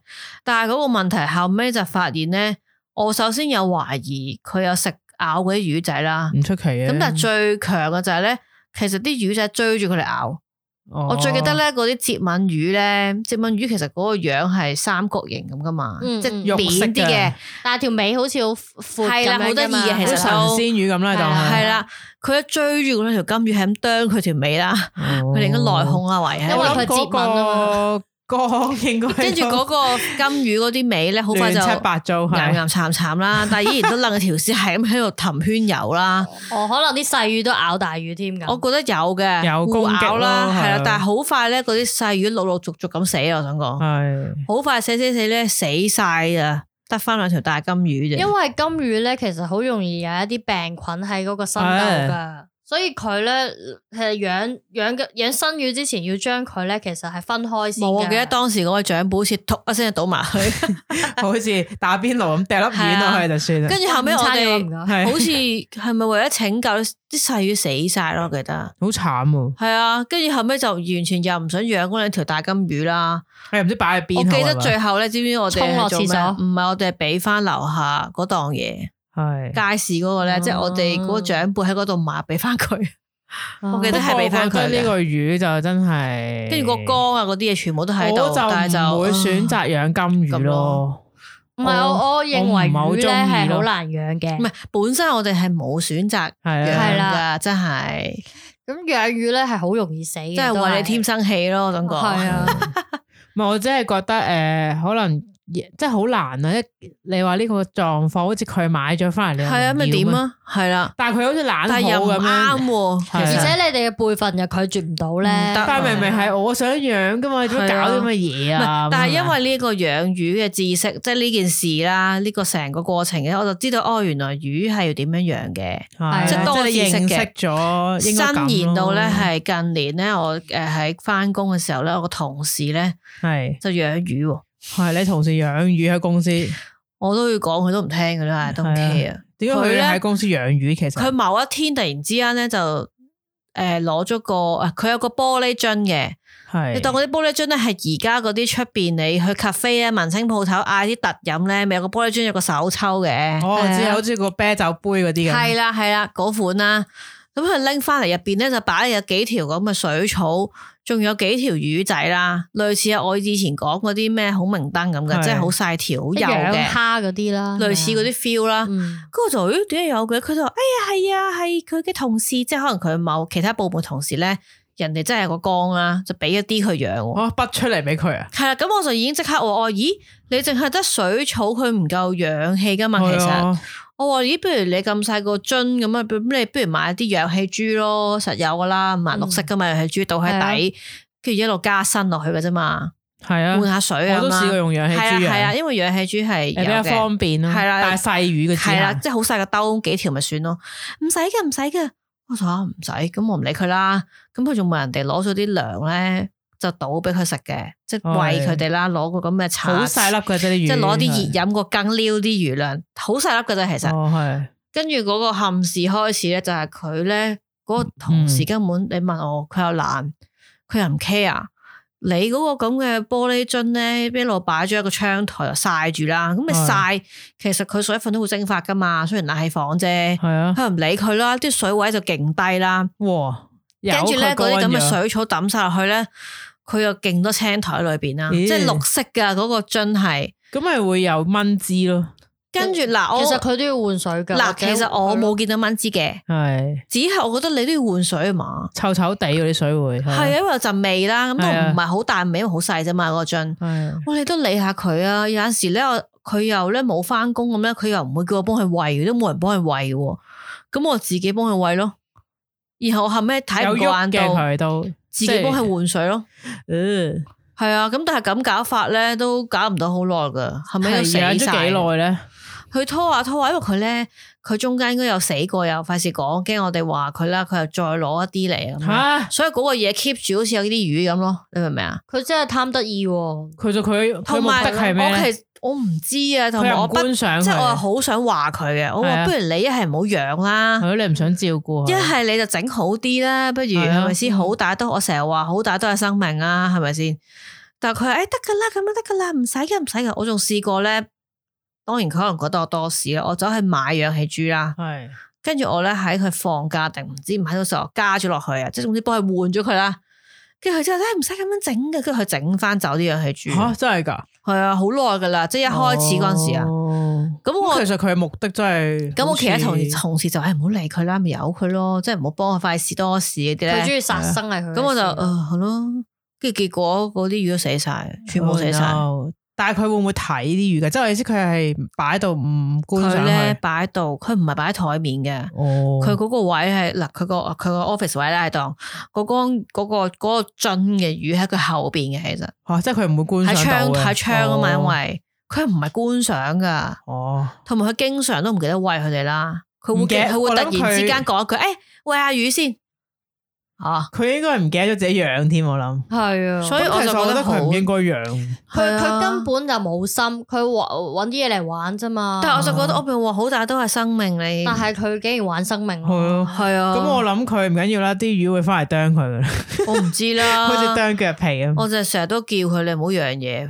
但係嗰個問題後尾就發現咧，我首先有懷疑佢有食咬嗰啲魚仔啦，唔出奇嘅。咁但係最強嘅就係咧，其實啲魚仔追住佢嚟咬。哦、我最記得咧，嗰啲節吻魚咧，節吻魚其實嗰個樣係三角形咁噶嘛，嗯、即係扁啲嘅，但係條尾好似好闊，係啦，好得意嘅，其實神仙魚咁啦，就係啦。佢一追住嗰條金魚，係咁啄佢條尾啦，佢哋應該內訌啊，為係因為佢節吻啊嘛。缸應該跟住嗰個金魚嗰啲尾咧，好快就亂七八糟，岩岩慘慘啦，但係依然都楞個條絲，係咁喺度氹圈游啦。哦，可能啲細魚都咬大魚添噶。我覺得有嘅，有攻擊啦，係啦，但係好快咧，嗰啲細魚陸陸續續咁死啊！我想講係好快死死死咧，死晒啊！得翻兩條大金魚啫。因為金魚咧，其實好容易有一啲病菌喺嗰個身度噶。所以佢咧係養養嘅養新魚之前，要將佢咧其實係分開先。冇，我記得當時嗰個長輩好似突一聲就倒埋去，好似打邊爐咁掉粒丸落去就算啦。跟住後尾我哋好似係咪為咗拯救啲細魚死晒咯？我記得好慘啊！係啊，跟住後尾就完全又唔想養嗰兩條大金魚啦。係唔知擺喺邊？我記得最後咧，知唔知我哋沖落廁所？唔係，我哋係俾翻樓下嗰檔嘢。係街市嗰個咧，即係我哋嗰個長輩喺嗰度買，俾翻佢。我記得係俾翻佢。呢個魚就真係，跟住個缸啊嗰啲嘢全部都喺度，但係就唔會選擇養金魚咯。唔係我我認為魚咧係好難養嘅。唔係本身我哋係冇選擇養噶，真係。咁養魚咧係好容易死嘅，即係為你添生氣咯，感覺。係啊，唔係我真係覺得誒，可能。即係好難啊！一你話呢個狀況，好似佢買咗翻嚟，你係啊，咪點啊？係啦，但係佢好似懶好咁樣，而且你哋嘅輩份又拒絕唔到咧。但係明明係我想養噶嘛，做乜搞啲咁嘅嘢啊？但係因為呢個養魚嘅知識，即係呢件事啦，呢個成個過程嘅，我就知道哦，原來魚係要點樣養嘅，即係多知識嘅。咗，伸延到咧係近年咧，我誒喺翻工嘅時候咧，我個同事咧係就養魚。係你同事養魚喺公司，我都要講，佢都唔聽嘅啦，都唔 care 啊。點解佢喺公司養魚？其實佢某一天突然之間咧就誒攞咗個誒，佢有個玻璃樽嘅，係你當嗰啲玻璃樽咧係而家嗰啲出邊你去 cafe 啊、文青鋪頭嗌啲特飲咧，咪有個玻璃樽有個手抽嘅，哦，知好似個啤酒杯嗰啲嘅，係啦係啦嗰款啦。咁佢拎翻嚟入邊咧就擺有幾條咁嘅水草。仲有幾條魚仔啦，類似我以前講嗰啲咩孔明燈咁嘅，即係好細條、好幼嘅蝦嗰啲啦，類似嗰啲 feel 啦。跟住就咦點解有嘅？佢就話：哎呀係啊，係佢嘅同事，即係可能佢某其他部門同事咧，人哋真係有個缸啦，就俾一啲佢養。我筆出嚟俾佢啊！係啦，咁我就已經即刻話：哦，咦，你淨係得水草，佢唔夠氧氣噶嘛？其實我話：咦，不如你咁細個樽咁啊，咁你不如買啲氧氣珠咯，實有噶啦，五顏六色噶嘛，氧氣珠倒喺底，跟住一路加新落去嘅啫嘛。係啊，換下水啊，我都試過用氧氣珠。係啊，係啊，因為氧氣珠係比較方便咯。係啦，但係細魚嘅係啦，即係好細個兜幾條咪算咯，唔使嘅，唔使嘅。我話唔使，咁我唔理佢啦。咁佢仲問人哋攞咗啲糧咧，就倒俾佢食嘅，即係餵佢哋啦。攞個咁嘅茶，好細粒嘅啫啲魚，即係攞啲熱飲個羹撩啲魚糧，好細粒嘅啫。其實，哦係。跟住嗰個憾事開始咧，就係佢咧嗰個同事根本你問我，佢又懶，佢又唔 care。你嗰個咁嘅玻璃樽咧，一路擺咗喺個窗台又曬住啦。咁你曬，其實佢水分都會蒸發噶嘛。雖然冷氣房啫，係啊，佢又唔理佢啦。啲水位就勁低啦。哇！跟住咧嗰啲咁嘅水草抌晒落去咧，佢又勁多青苔裏邊啦，即係綠色噶嗰個樽係。咁咪會有蚊滋咯。跟住嗱，其實佢都要換水噶。嗱，其實我冇見到蚊滋嘅，係只係我覺得你都要換水啊嘛，臭臭地嗰啲水會係啊，因為有陣味啦，咁都唔係好大味，因為好細啫嘛嗰個樽。哇，你都理下佢啊！有陣時咧，佢又咧冇翻工咁咧，佢又唔會叫我幫佢餵，都冇人幫佢餵嘅，咁我自己幫佢餵咯。然後後尾睇唔慣到，佢都自己幫佢換水咯。嗯，係啊，咁但係咁搞法咧，都搞唔到好耐噶，後尾都死晒。養咗幾耐咧？佢拖下拖下，因為佢咧，佢中間應該有死過，又費事講，驚我哋話佢啦，佢又再攞一啲嚟咁，蛤所以嗰個嘢 keep 住好似有啲魚咁咯，你明唔明啊？佢真係貪得意，佢就佢同埋我其實我唔知啊，同埋我不即係我係好想話佢嘅，我話不如你一係唔好養啦，係你唔想照顧，一係你就整好啲啦，不如係咪先？好大都我成日話好大都係生命啊，係咪先？但係佢誒得噶啦，咁樣得噶啦，唔使嘅，唔使嘅，我仲試過咧。當然佢可能覺得我多事啦，我走去買氧氣珠啦，係跟住我咧喺佢放假定唔知唔喺度時候加咗落去啊，即係總之幫佢換咗佢啦。跟住佢就咧唔使咁樣整嘅，跟住佢整翻走啲氧氣珠。吓真係噶？係啊，好耐噶啦，即係一開始嗰陣時啊。咁、哦、我其實佢嘅目的真係咁，我其他同同事就係唔好理佢啦，咪由佢咯，即係唔好幫佢費事多事嗰啲咧。佢中意殺生係佢。咁我就誒係咯，跟住結果嗰啲魚都死晒，全部死晒。Oh, no. 但係佢會唔會睇啲魚嘅？即係我意思，佢係擺喺度唔觀賞佢咧，擺喺度，佢唔係擺喺台面嘅。哦，佢嗰個位係嗱，佢個佢個 office 位咧係當嗰個嗰個嗰個樽嘅魚喺佢後邊嘅，其實。吓、啊，即係佢唔會觀賞到嘅。喺窗喺窗啊嘛，因為佢唔係觀賞噶，哦，同埋佢經常都唔記得餵佢哋啦，佢會佢會突然之間講一句，誒餵下魚先。啊！佢應該係唔記得咗自己養添，我諗係啊，所以我就覺得佢唔應該養。佢佢根本就冇心，佢搵啲嘢嚟玩啫嘛。但係我就覺得我邊話好大都係生命你，但係佢竟然玩生命，係啊，係啊。咁我諗佢唔緊要啦，啲魚會翻嚟啄佢噶啦。我唔知啦，好似啄腳皮啊。我就成日都叫佢你唔好養嘢。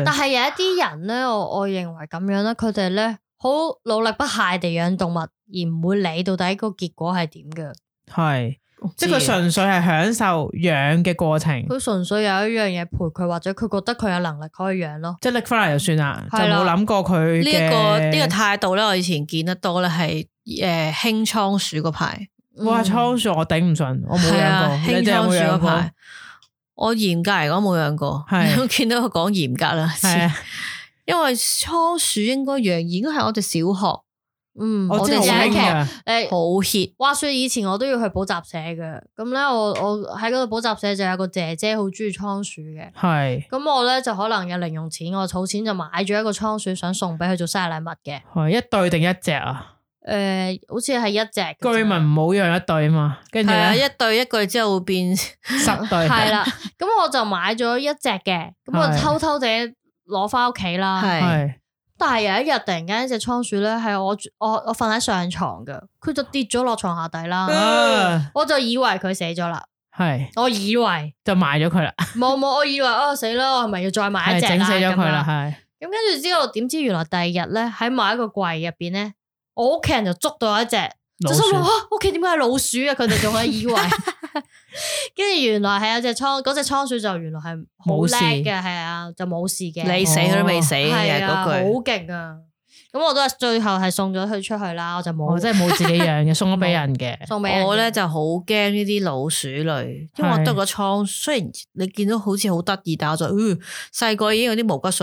但係有一啲人咧，我我認為咁樣咧，佢哋咧好努力不懈地養動物，而唔會理到底個結果係點嘅。係。即係佢純粹係享受養嘅過程，佢純粹有一樣嘢陪佢，或者佢覺得佢有能力可以養咯，即係拎翻嚟就算啦，就冇諗過佢呢一個呢個態度咧。我以前見得多咧，係誒興倉鼠嗰排，哇倉鼠我頂唔順，我冇養過。興倉鼠嗰排，我嚴格嚟講冇養過，係見到佢講嚴格啦，因為倉鼠應該養，應該係我哋小學。嗯，我哋有一期誒好 hit。話說以前我都要去補習社嘅，咁咧我我喺嗰度補習社就有個姐姐好中意倉鼠嘅，係，咁我咧就可能有零用錢，我儲錢就買咗一個倉鼠，想送俾佢做生日禮物嘅。係一對定一隻啊？誒、呃，好似係一隻。居民唔好養一對啊嘛，跟住咧一對一句之後會變十對。係啦，咁我就買咗一隻嘅，咁我偷偷地攞翻屋企啦。係。但係有一日突然間一隻倉鼠咧，係我我我瞓喺上床嘅，佢就跌咗落床下底啦，啊、我就以為佢死咗啦，係是，我以為就埋咗佢啦，冇冇，我以為哦死啦，我係咪要再買一隻啦？整死咗佢啦，係，咁跟住之後點知原來第二日咧喺某一個櫃入邊咧，我屋企人就捉到一隻。就心諗啊，屋企點解係老鼠啊？佢哋仲係以為，跟住原來係有隻倉，嗰隻倉鼠就原來係好叻嘅，係啊，就冇事嘅。你死佢都未死嘅嗰句，好勁啊！咁我都係最後係送咗佢出去啦，我就冇，我真係冇自己養嘅，送咗俾人嘅。送俾我咧就好驚呢啲老鼠類，因為我得個倉，雖然你見到好似好得意，但係我就，嗯，細個已經有啲毛骨悚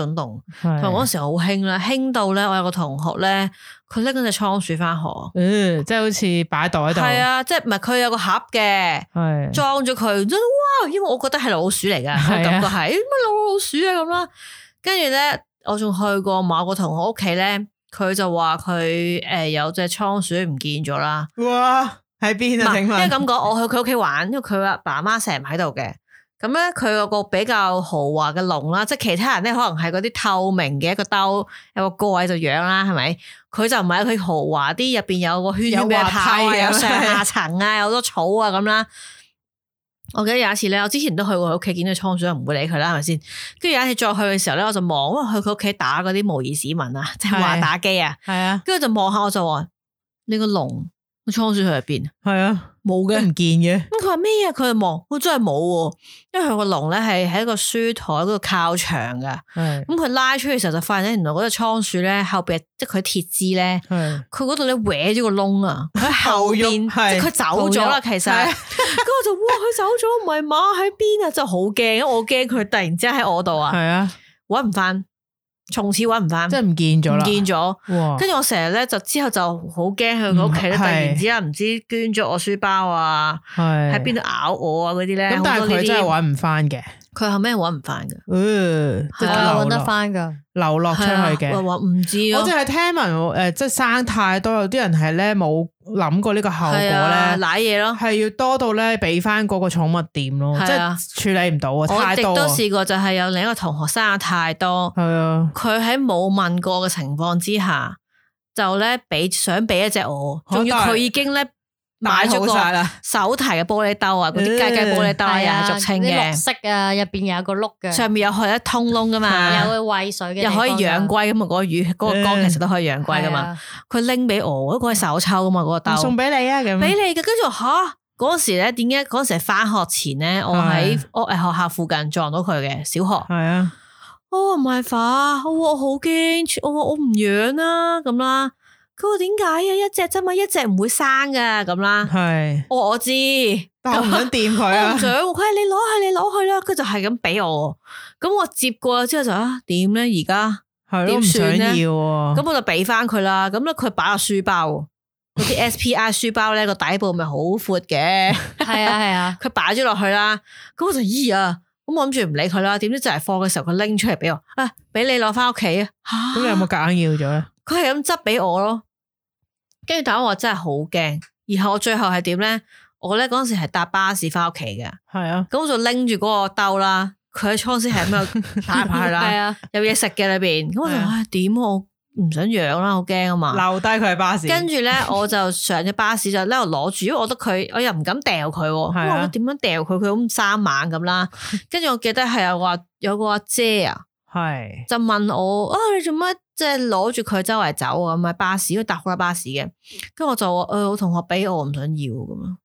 然，同嗰時好興啦，興到咧，我有個同學咧，佢拎嗰隻倉鼠翻學，嗯，即係好似擺袋喺度，係啊，即係唔係佢有個盒嘅，係裝咗佢，哇！因為我覺得係老鼠嚟噶，我感覺係乜老老鼠啊咁啦，跟住咧，我仲去過某個同學屋企咧。佢就話佢誒有隻倉鼠唔見咗啦。哇，喺邊啊？請問，因為咁講，我去佢屋企玩，因為佢阿爸媽成日唔喺度嘅。咁咧，佢有個比較豪華嘅籠啦，即係其他人咧可能係嗰啲透明嘅一個兜，有個蓋就養啦，係咪？佢就唔係，佢豪華啲，入邊有個圈圈俾佢跑啊，有上下層啊，有好多草啊咁啦。我記得有一次咧，我之前都去過佢屋企，見到倉鼠，唔會理佢啦，係咪先？跟住有一次再去嘅時候咧，我就望，因為去佢屋企打嗰啲模擬市民啊，即係話打機啊，係啊，跟住就望下，我就話呢個籠個倉鼠去入邊，係啊，冇嘅，唔見嘅。咁佢話咩啊？佢就望，我真係冇，因為佢個籠咧係喺一個書台嗰度靠牆噶，咁佢拉出去嘅時候就發現咧，原來嗰隻倉鼠咧後邊即係佢鐵枝咧，佢嗰度咧搲咗個窿啊，喺後邊，即係佢走咗啦，其實。咁我就哇，佢走咗，唔係馬喺邊啊！真係好驚，我驚佢突然之間喺我度啊！係啊，搵唔翻，從此搵唔翻，即係唔見咗啦，唔見咗。跟住我成日咧，就之後就好驚去佢屋企咧，突然之間唔知捐咗我書包啊，喺邊度咬我啊嗰啲咧。咁但係佢真係搵唔翻嘅，佢後尾搵唔翻噶，嗯，係啊，搵得翻噶，流落出去嘅。話唔知，我淨係聽聞誒，即係生太多，有啲人係咧冇諗過呢個後果咧，瀨嘢咯，係要多到咧俾翻嗰個寵物店咯，即係處理唔到啊，太多。我亦都試過，就係有另一個同學生得太多，係啊，佢喺冇問過嘅情況之下，就咧俾想俾一隻我，仲要佢已經咧。買咗個手提嘅玻璃兜啊，嗰啲雞雞玻璃兜啊，又係俗稱嘅，綠色啊，入邊有個碌嘅，上面有開一通窿噶嘛，有去餵水嘅，又可以養龜咁啊，嗰個魚，嗰個缸其實都可以養龜噶嘛。佢拎俾我，嗰個係手抽噶嘛，嗰個兜送俾你啊，咁俾你嘅。跟住吓嗰時咧，點解嗰時係翻學前咧，我喺我誒學校附近撞到佢嘅小學，係啊，我話唔係法，我好驚，我我唔養啦咁啦。佢話點解啊？一隻啫嘛，一隻唔會生噶咁啦。係，我我知，但我唔想掂佢啊。我唔想，佢話你攞去，你攞去啦。佢就係咁俾我，咁我接過之後就啊，點咧？而家點算咧？咁我就俾翻佢啦。咁咧佢擺個書包，嗰啲 S P I 書包咧個底部咪好闊嘅。係啊係啊，佢擺咗落去啦。咁我就咦啊！咁我諗住唔理佢啦，點知就係放嘅時候佢拎出嚟俾我，啊，俾你攞翻屋企啊！咁你有冇夾硬要咗咧？佢係咁執俾我咯，跟住但係我真係好驚，然後我最後係點咧？我咧嗰陣時係搭巴士翻屋企嘅，係啊，咁我就拎住嗰個兜啦，佢喺倉鼠係咁樣打牌啦，係啊，有嘢食嘅裏邊，咁我就唉點我唔想養啦，好驚啊嘛，留低佢喺巴士，跟住咧我就上咗巴士就喺度攞住，因為我覺得佢我又唔敢掉佢，我話點樣掉佢，佢咁生猛咁啦，跟住我記得係有話有個阿姐啊，係就問我啊你做乜即係攞住佢周圍走啊？咁喺巴士，因為搭好多巴士嘅，跟住我就話誒我同學俾我唔想要咁咯。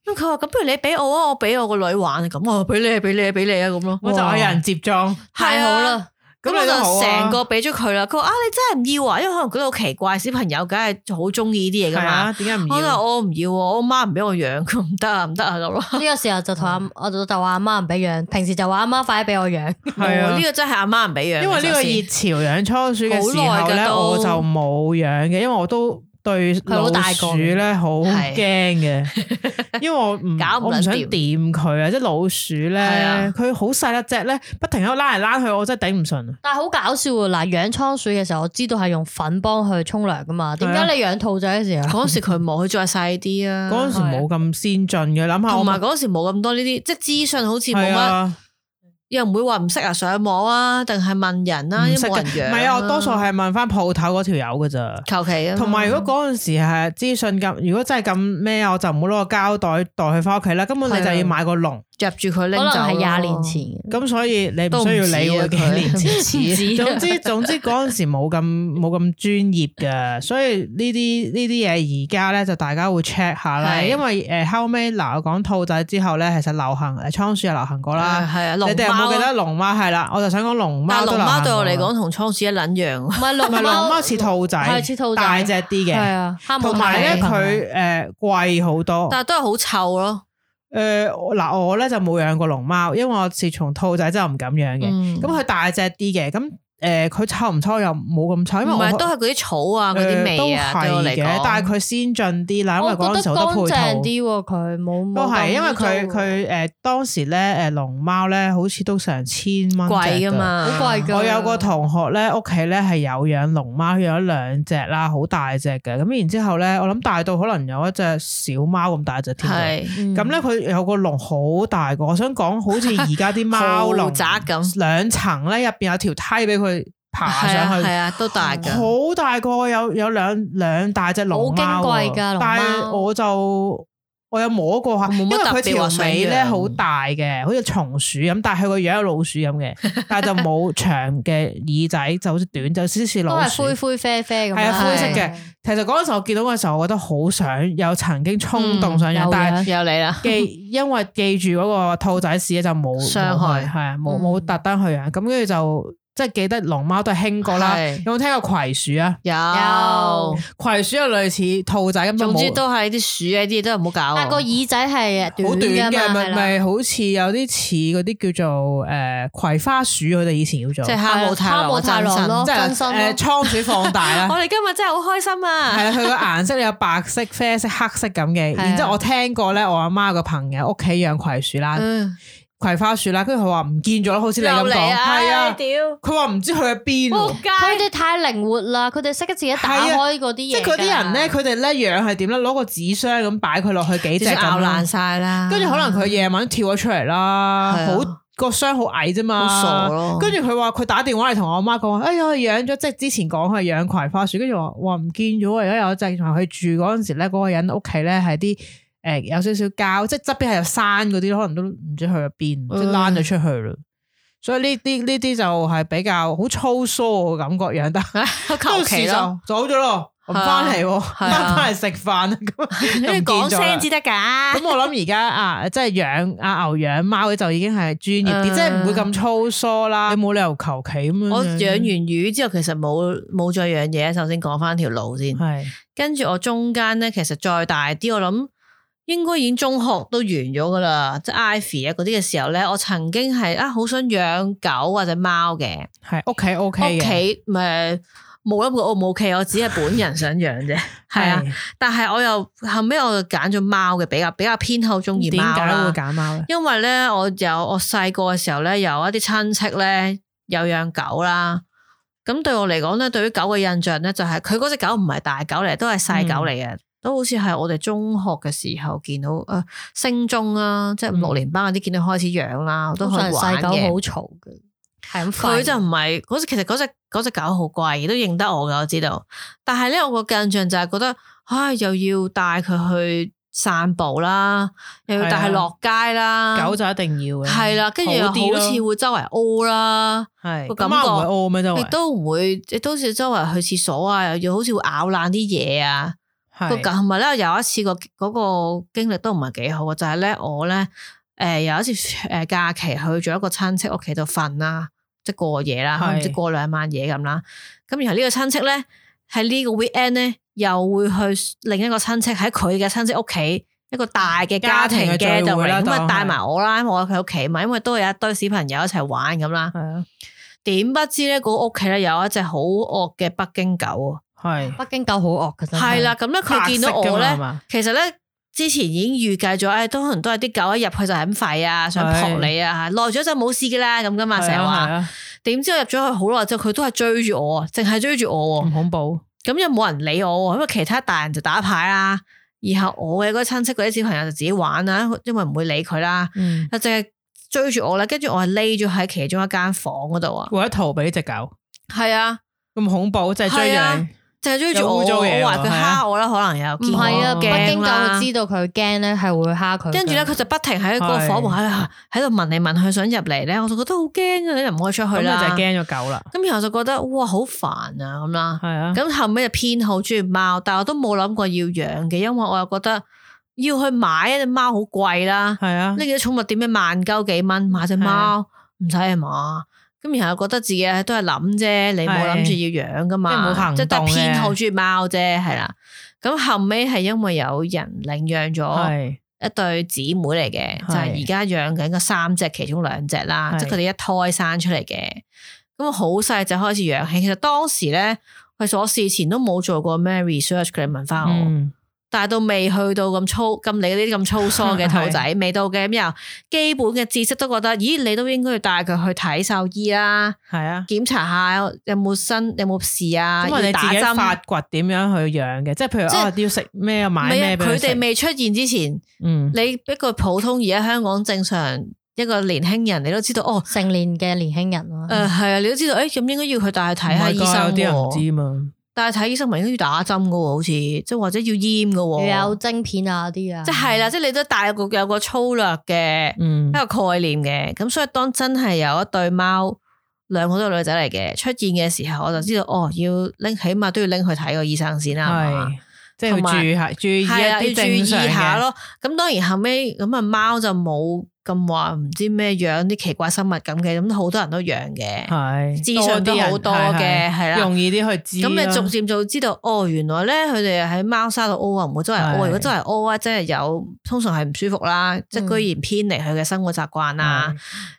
咁佢話咁不如你俾我啊，我俾我個女玩啊，咁我俾你俾你俾你啊咁咯，我就有人接裝，太好啦。咁我就成個俾咗佢啦。佢話啊，你真係唔要啊？因為可能覺得好奇怪，小朋友梗係好中意呢啲嘢噶嘛。點解唔要？我就我唔要，我媽唔俾我養，佢唔得啊，唔得啊咁咯。呢個時候就同阿我就就話阿媽唔俾養，平時就話阿媽快啲俾我養。係啊，呢個真係阿媽唔俾養。因為呢個熱潮養倉鼠嘅時候咧，我就冇養嘅，因為我都對老鼠咧好驚嘅，因為我唔我唔想掂佢啊！即係老鼠咧，佢好細一隻咧，不停喺度拉嚟拉去，我真係頂唔順。但係好搞笑喎！嗱，養倉鼠嘅時候，我知道係用粉幫佢沖涼噶嘛。點解你養兔仔嘅時候？嗰時佢冇，佢再細啲啊。嗰陣時冇咁先進嘅，諗下。同埋嗰時冇咁多呢啲，即係資訊好似冇乜。又唔會話唔識啊，上網啊，定係問人啊，因為冇人養。唔係啊，我多數係問翻鋪頭嗰條友噶咋，求其啊。同埋如果嗰陣時係資訊咁，如果真係咁咩，我就唔好攞個膠袋袋佢翻屋企啦。根本你就要買個籠入住佢拎走。可能係廿年前。咁所以你唔需要理會幾年前。總之總之嗰陣時冇咁冇咁專業噶，所以呢啲呢啲嘢而家咧就大家會 check 下啦。因為誒後尾嗱我講兔仔之後咧，其實流行誒倉鼠又流行過啦。係啊，你哋有冇記得龍貓？係啦，我就想講龍貓。但龍貓對我嚟講同倉鼠一撚樣。唔係龍貓似兔仔，係似兔仔大隻啲嘅。係啊，同埋咧佢誒貴好多，但係都係好臭咯。誒嗱，我咧就冇養過龍貓，因為我自從兔仔真係唔敢養嘅。咁佢大隻啲嘅，咁誒佢臭唔臭又冇咁臭，因為唔係都係嗰啲草啊，嗰啲味啊，對我嚟講。但係佢先進啲啦，因為嗰陣時好多配套啲喎，佢冇都係因為佢佢誒當時咧誒龍貓咧好似都成千蚊貴噶嘛，好貴噶。我有個同學咧屋企咧係有養龍貓，養咗兩隻啦，好大隻嘅。咁然之後咧，我諗大到可能有一隻小貓咁大隻添。係咁咧，佢有個籠好大個，我想講好似而家啲貓籠宅咁，兩層咧入邊有條梯俾佢爬上去，係啊，都大噶，好大個，有有兩兩大隻龍貓，好矜貴噶龍貓。但係我就我有摸過下，因為佢條尾咧好大嘅，好似松鼠咁，但係佢個樣有老鼠咁嘅，但係就冇長嘅耳仔，就好似短，就少少似老鼠，都係灰灰啡啡咁。係啊，灰色嘅。其實嗰陣時我見到嘅時候，我覺得好想有曾經衝動想養，但係有你啦，記因為記住嗰個兔仔屎就冇傷害，係啊，冇冇特登去養，咁跟住就。即係記得龍貓都係興過啦，有冇聽過葵鼠啊？有，葵鼠又類似兔仔咁，總之都係啲鼠啊啲嘢都唔好搞。但係個耳仔係好短嘅，咪咪好似有啲似嗰啲叫做誒葵花鼠，佢哋以前叫做即係哈姆太郎真身咯，即係誒倉鼠放大啦。我哋今日真係好開心啊！係啊，佢個顏色有白色、啡色、黑色咁嘅。然之後我聽過咧，我阿媽個朋友屋企養葵鼠啦。葵花樹啦，跟住佢話唔見咗，好似你咁講，係啊，佢話唔知去咗邊。佢哋太靈活啦，佢哋識得自己打開嗰啲嘢。即係嗰啲人咧，佢哋咧養係點咧？攞個紙箱咁擺佢落去幾隻咁，咬爛晒啦。跟住可能佢夜晚跳咗出嚟啦，好個箱好矮啫嘛，好傻咯。跟住佢話佢打電話嚟同我阿媽講話，哎呀養咗，即係之前講佢養葵花樹，跟住話話唔見咗，而家有一隻同佢住嗰陣時咧，嗰個人屋企咧係啲。誒，有少少膠，即係側邊係有山嗰啲，可能都唔知去咗邊，嗯、即係躝咗出去啦。所以呢啲呢啲就係比較好粗疏嘅感覺養得，求其咯，走咗咯，唔翻嚟，翻翻嚟食飯咁，你講聲至得噶。咁我諗而家啊，即係養阿牛養貓就已經係專業啲，嗯、即係唔會咁粗疏啦。你冇理由求其咁樣。我養完魚之後，其實冇冇再養嘢。首先講翻條路先，係是跟住我中間咧，其實再大啲，我諗。應該已經中學都完咗噶啦，即係 Ivy 啊嗰啲嘅時候咧，我曾經係啊好想養狗或者貓嘅，係屋企 OK 嘅，屋企誒冇諗過 O 唔 O K，我只係本人想養啫，係啊。但係我又後尾我就揀咗貓嘅，比較比較偏好中意貓啦。點解會揀貓咧？因為咧，我有我細個嘅時候咧，有一啲親戚咧有養狗啦。咁對我嚟講咧，對於狗嘅印象咧，就係佢嗰隻狗唔係大狗嚟，都係細狗嚟嘅，嗯、都好似係我哋中學嘅時候見到誒，升中啊，即係五六年班嗰啲見到開始養啦，我都可以玩嘅。細狗好嘈嘅，係咁。佢就唔係嗰隻，其實嗰隻嗰隻狗好乖，都認得我㗎，我知道。但係咧，我個印象就係覺得，唉，又要帶佢去散步啦，又要帶佢落街啦，狗就一定要嘅，係啦，跟住又好似會周圍屙啦，係個感覺唔會屙咩？周圍亦都唔會，亦都似周圍去廁所啊，又要好似會咬爛啲嘢啊。個同埋咧，有一次個嗰個經歷都唔係幾好嘅，就係咧我咧誒有一次誒假期去咗一個親戚屋企度瞓啦，即係過夜啦，唔知過兩晚夜咁啦。咁然後呢個親戚咧喺呢個 weekend 咧。又會去另一個親戚喺佢嘅親戚屋企一個大嘅家庭嘅聚會啦，咁啊帶埋我啦，因為我喺佢屋企嘛，因為都有一堆小朋友一齊玩咁啦。係啊，點不知咧，嗰屋企咧有一隻好惡嘅北京狗啊，係北京狗好惡嘅真係。係啦，咁咧佢見到我咧，其實咧之前已經預計咗，誒，都可能都係啲狗一入去就係咁吠啊，想撲你啊，耐咗就冇事嘅啦，咁噶嘛，成日話。點知我入咗去好耐之後，佢都係追住我，淨係追住我，唔恐怖。咁又冇人理我，因為其他大人就打牌啦，然後我嘅嗰個親戚嗰啲小朋友就自己玩啦，因為唔會理佢啦，嗯、就淨係追住我啦，跟住我係匿咗喺其中一間房嗰度啊，為咗逃避呢隻狗，係啊，咁恐怖，就係追住你。就係追住我，我話佢蝦我啦，可能有唔係啊，北京狗佢知道佢驚咧，係會蝦佢。跟住咧，佢就不停喺個房門喺度喺度聞嚟聞去，想入嚟咧，我就覺得好驚啊！你又唔可以出去啦，咁就係驚咗狗啦。咁然後就覺得哇，好煩啊咁啦。係啊。咁後尾就偏好中意貓，但係我都冇諗過要養嘅，因為我又覺得要去買一隻貓好貴啦。係啊。呢幾隻寵物店咩萬鳩幾蚊買隻貓唔使係嘛？咁然後覺得自己都係諗啫，你冇諗住要養噶嘛，即係得偏好中意貓啫，係啦。咁後尾係因為有人領養咗一對姊妹嚟嘅，就係而家養緊個三隻，其中兩隻啦，即係佢哋一胎生出嚟嘅。咁好細就開始養起，其實當時咧，其實我事前都冇做過咩 research， 佢哋問翻我。嗯但係到未去到咁粗咁你嗰啲咁粗疏嘅兔仔，未到嘅，咁又基本嘅知識都覺得，咦，你都應該要帶佢去睇獸醫啦，係啊，檢查下有冇新有冇事啊，咁你自己發掘點樣去養嘅，即係譬如啊要食咩買咩，佢哋未出現之前，嗯，你一個普通而家香港正常一個年輕人，你都知道哦，成年嘅年輕人咯，誒係啊，你都知道，誒咁應該要佢帶去睇下醫生，有啲人唔知嘛。但係睇醫生咪應該要打針噶，好似即係或者要閹噶，要有晶片啊啲啊，即係啦，即係你都帶有個有個粗略嘅一個概念嘅，咁、嗯、所以當真係有一對貓，兩個都係女仔嚟嘅出現嘅時候，我就知道哦，要拎起碼都要拎去睇個醫生先啦，係嘛，即係注意下注意一啲正常嘅下咯。咁當然後尾咁啊貓就冇。咁話唔知咩養啲奇怪生物咁嘅，咁好多人都養嘅，係資訊都好多嘅，係啦，容易啲去知。咁你逐漸就知道，哦，原來咧佢哋喺貓砂度屙啊，唔會周圍屙。如果周圍屙啊，即係有通常係唔舒服啦，即係居然偏離佢嘅生活習慣啊，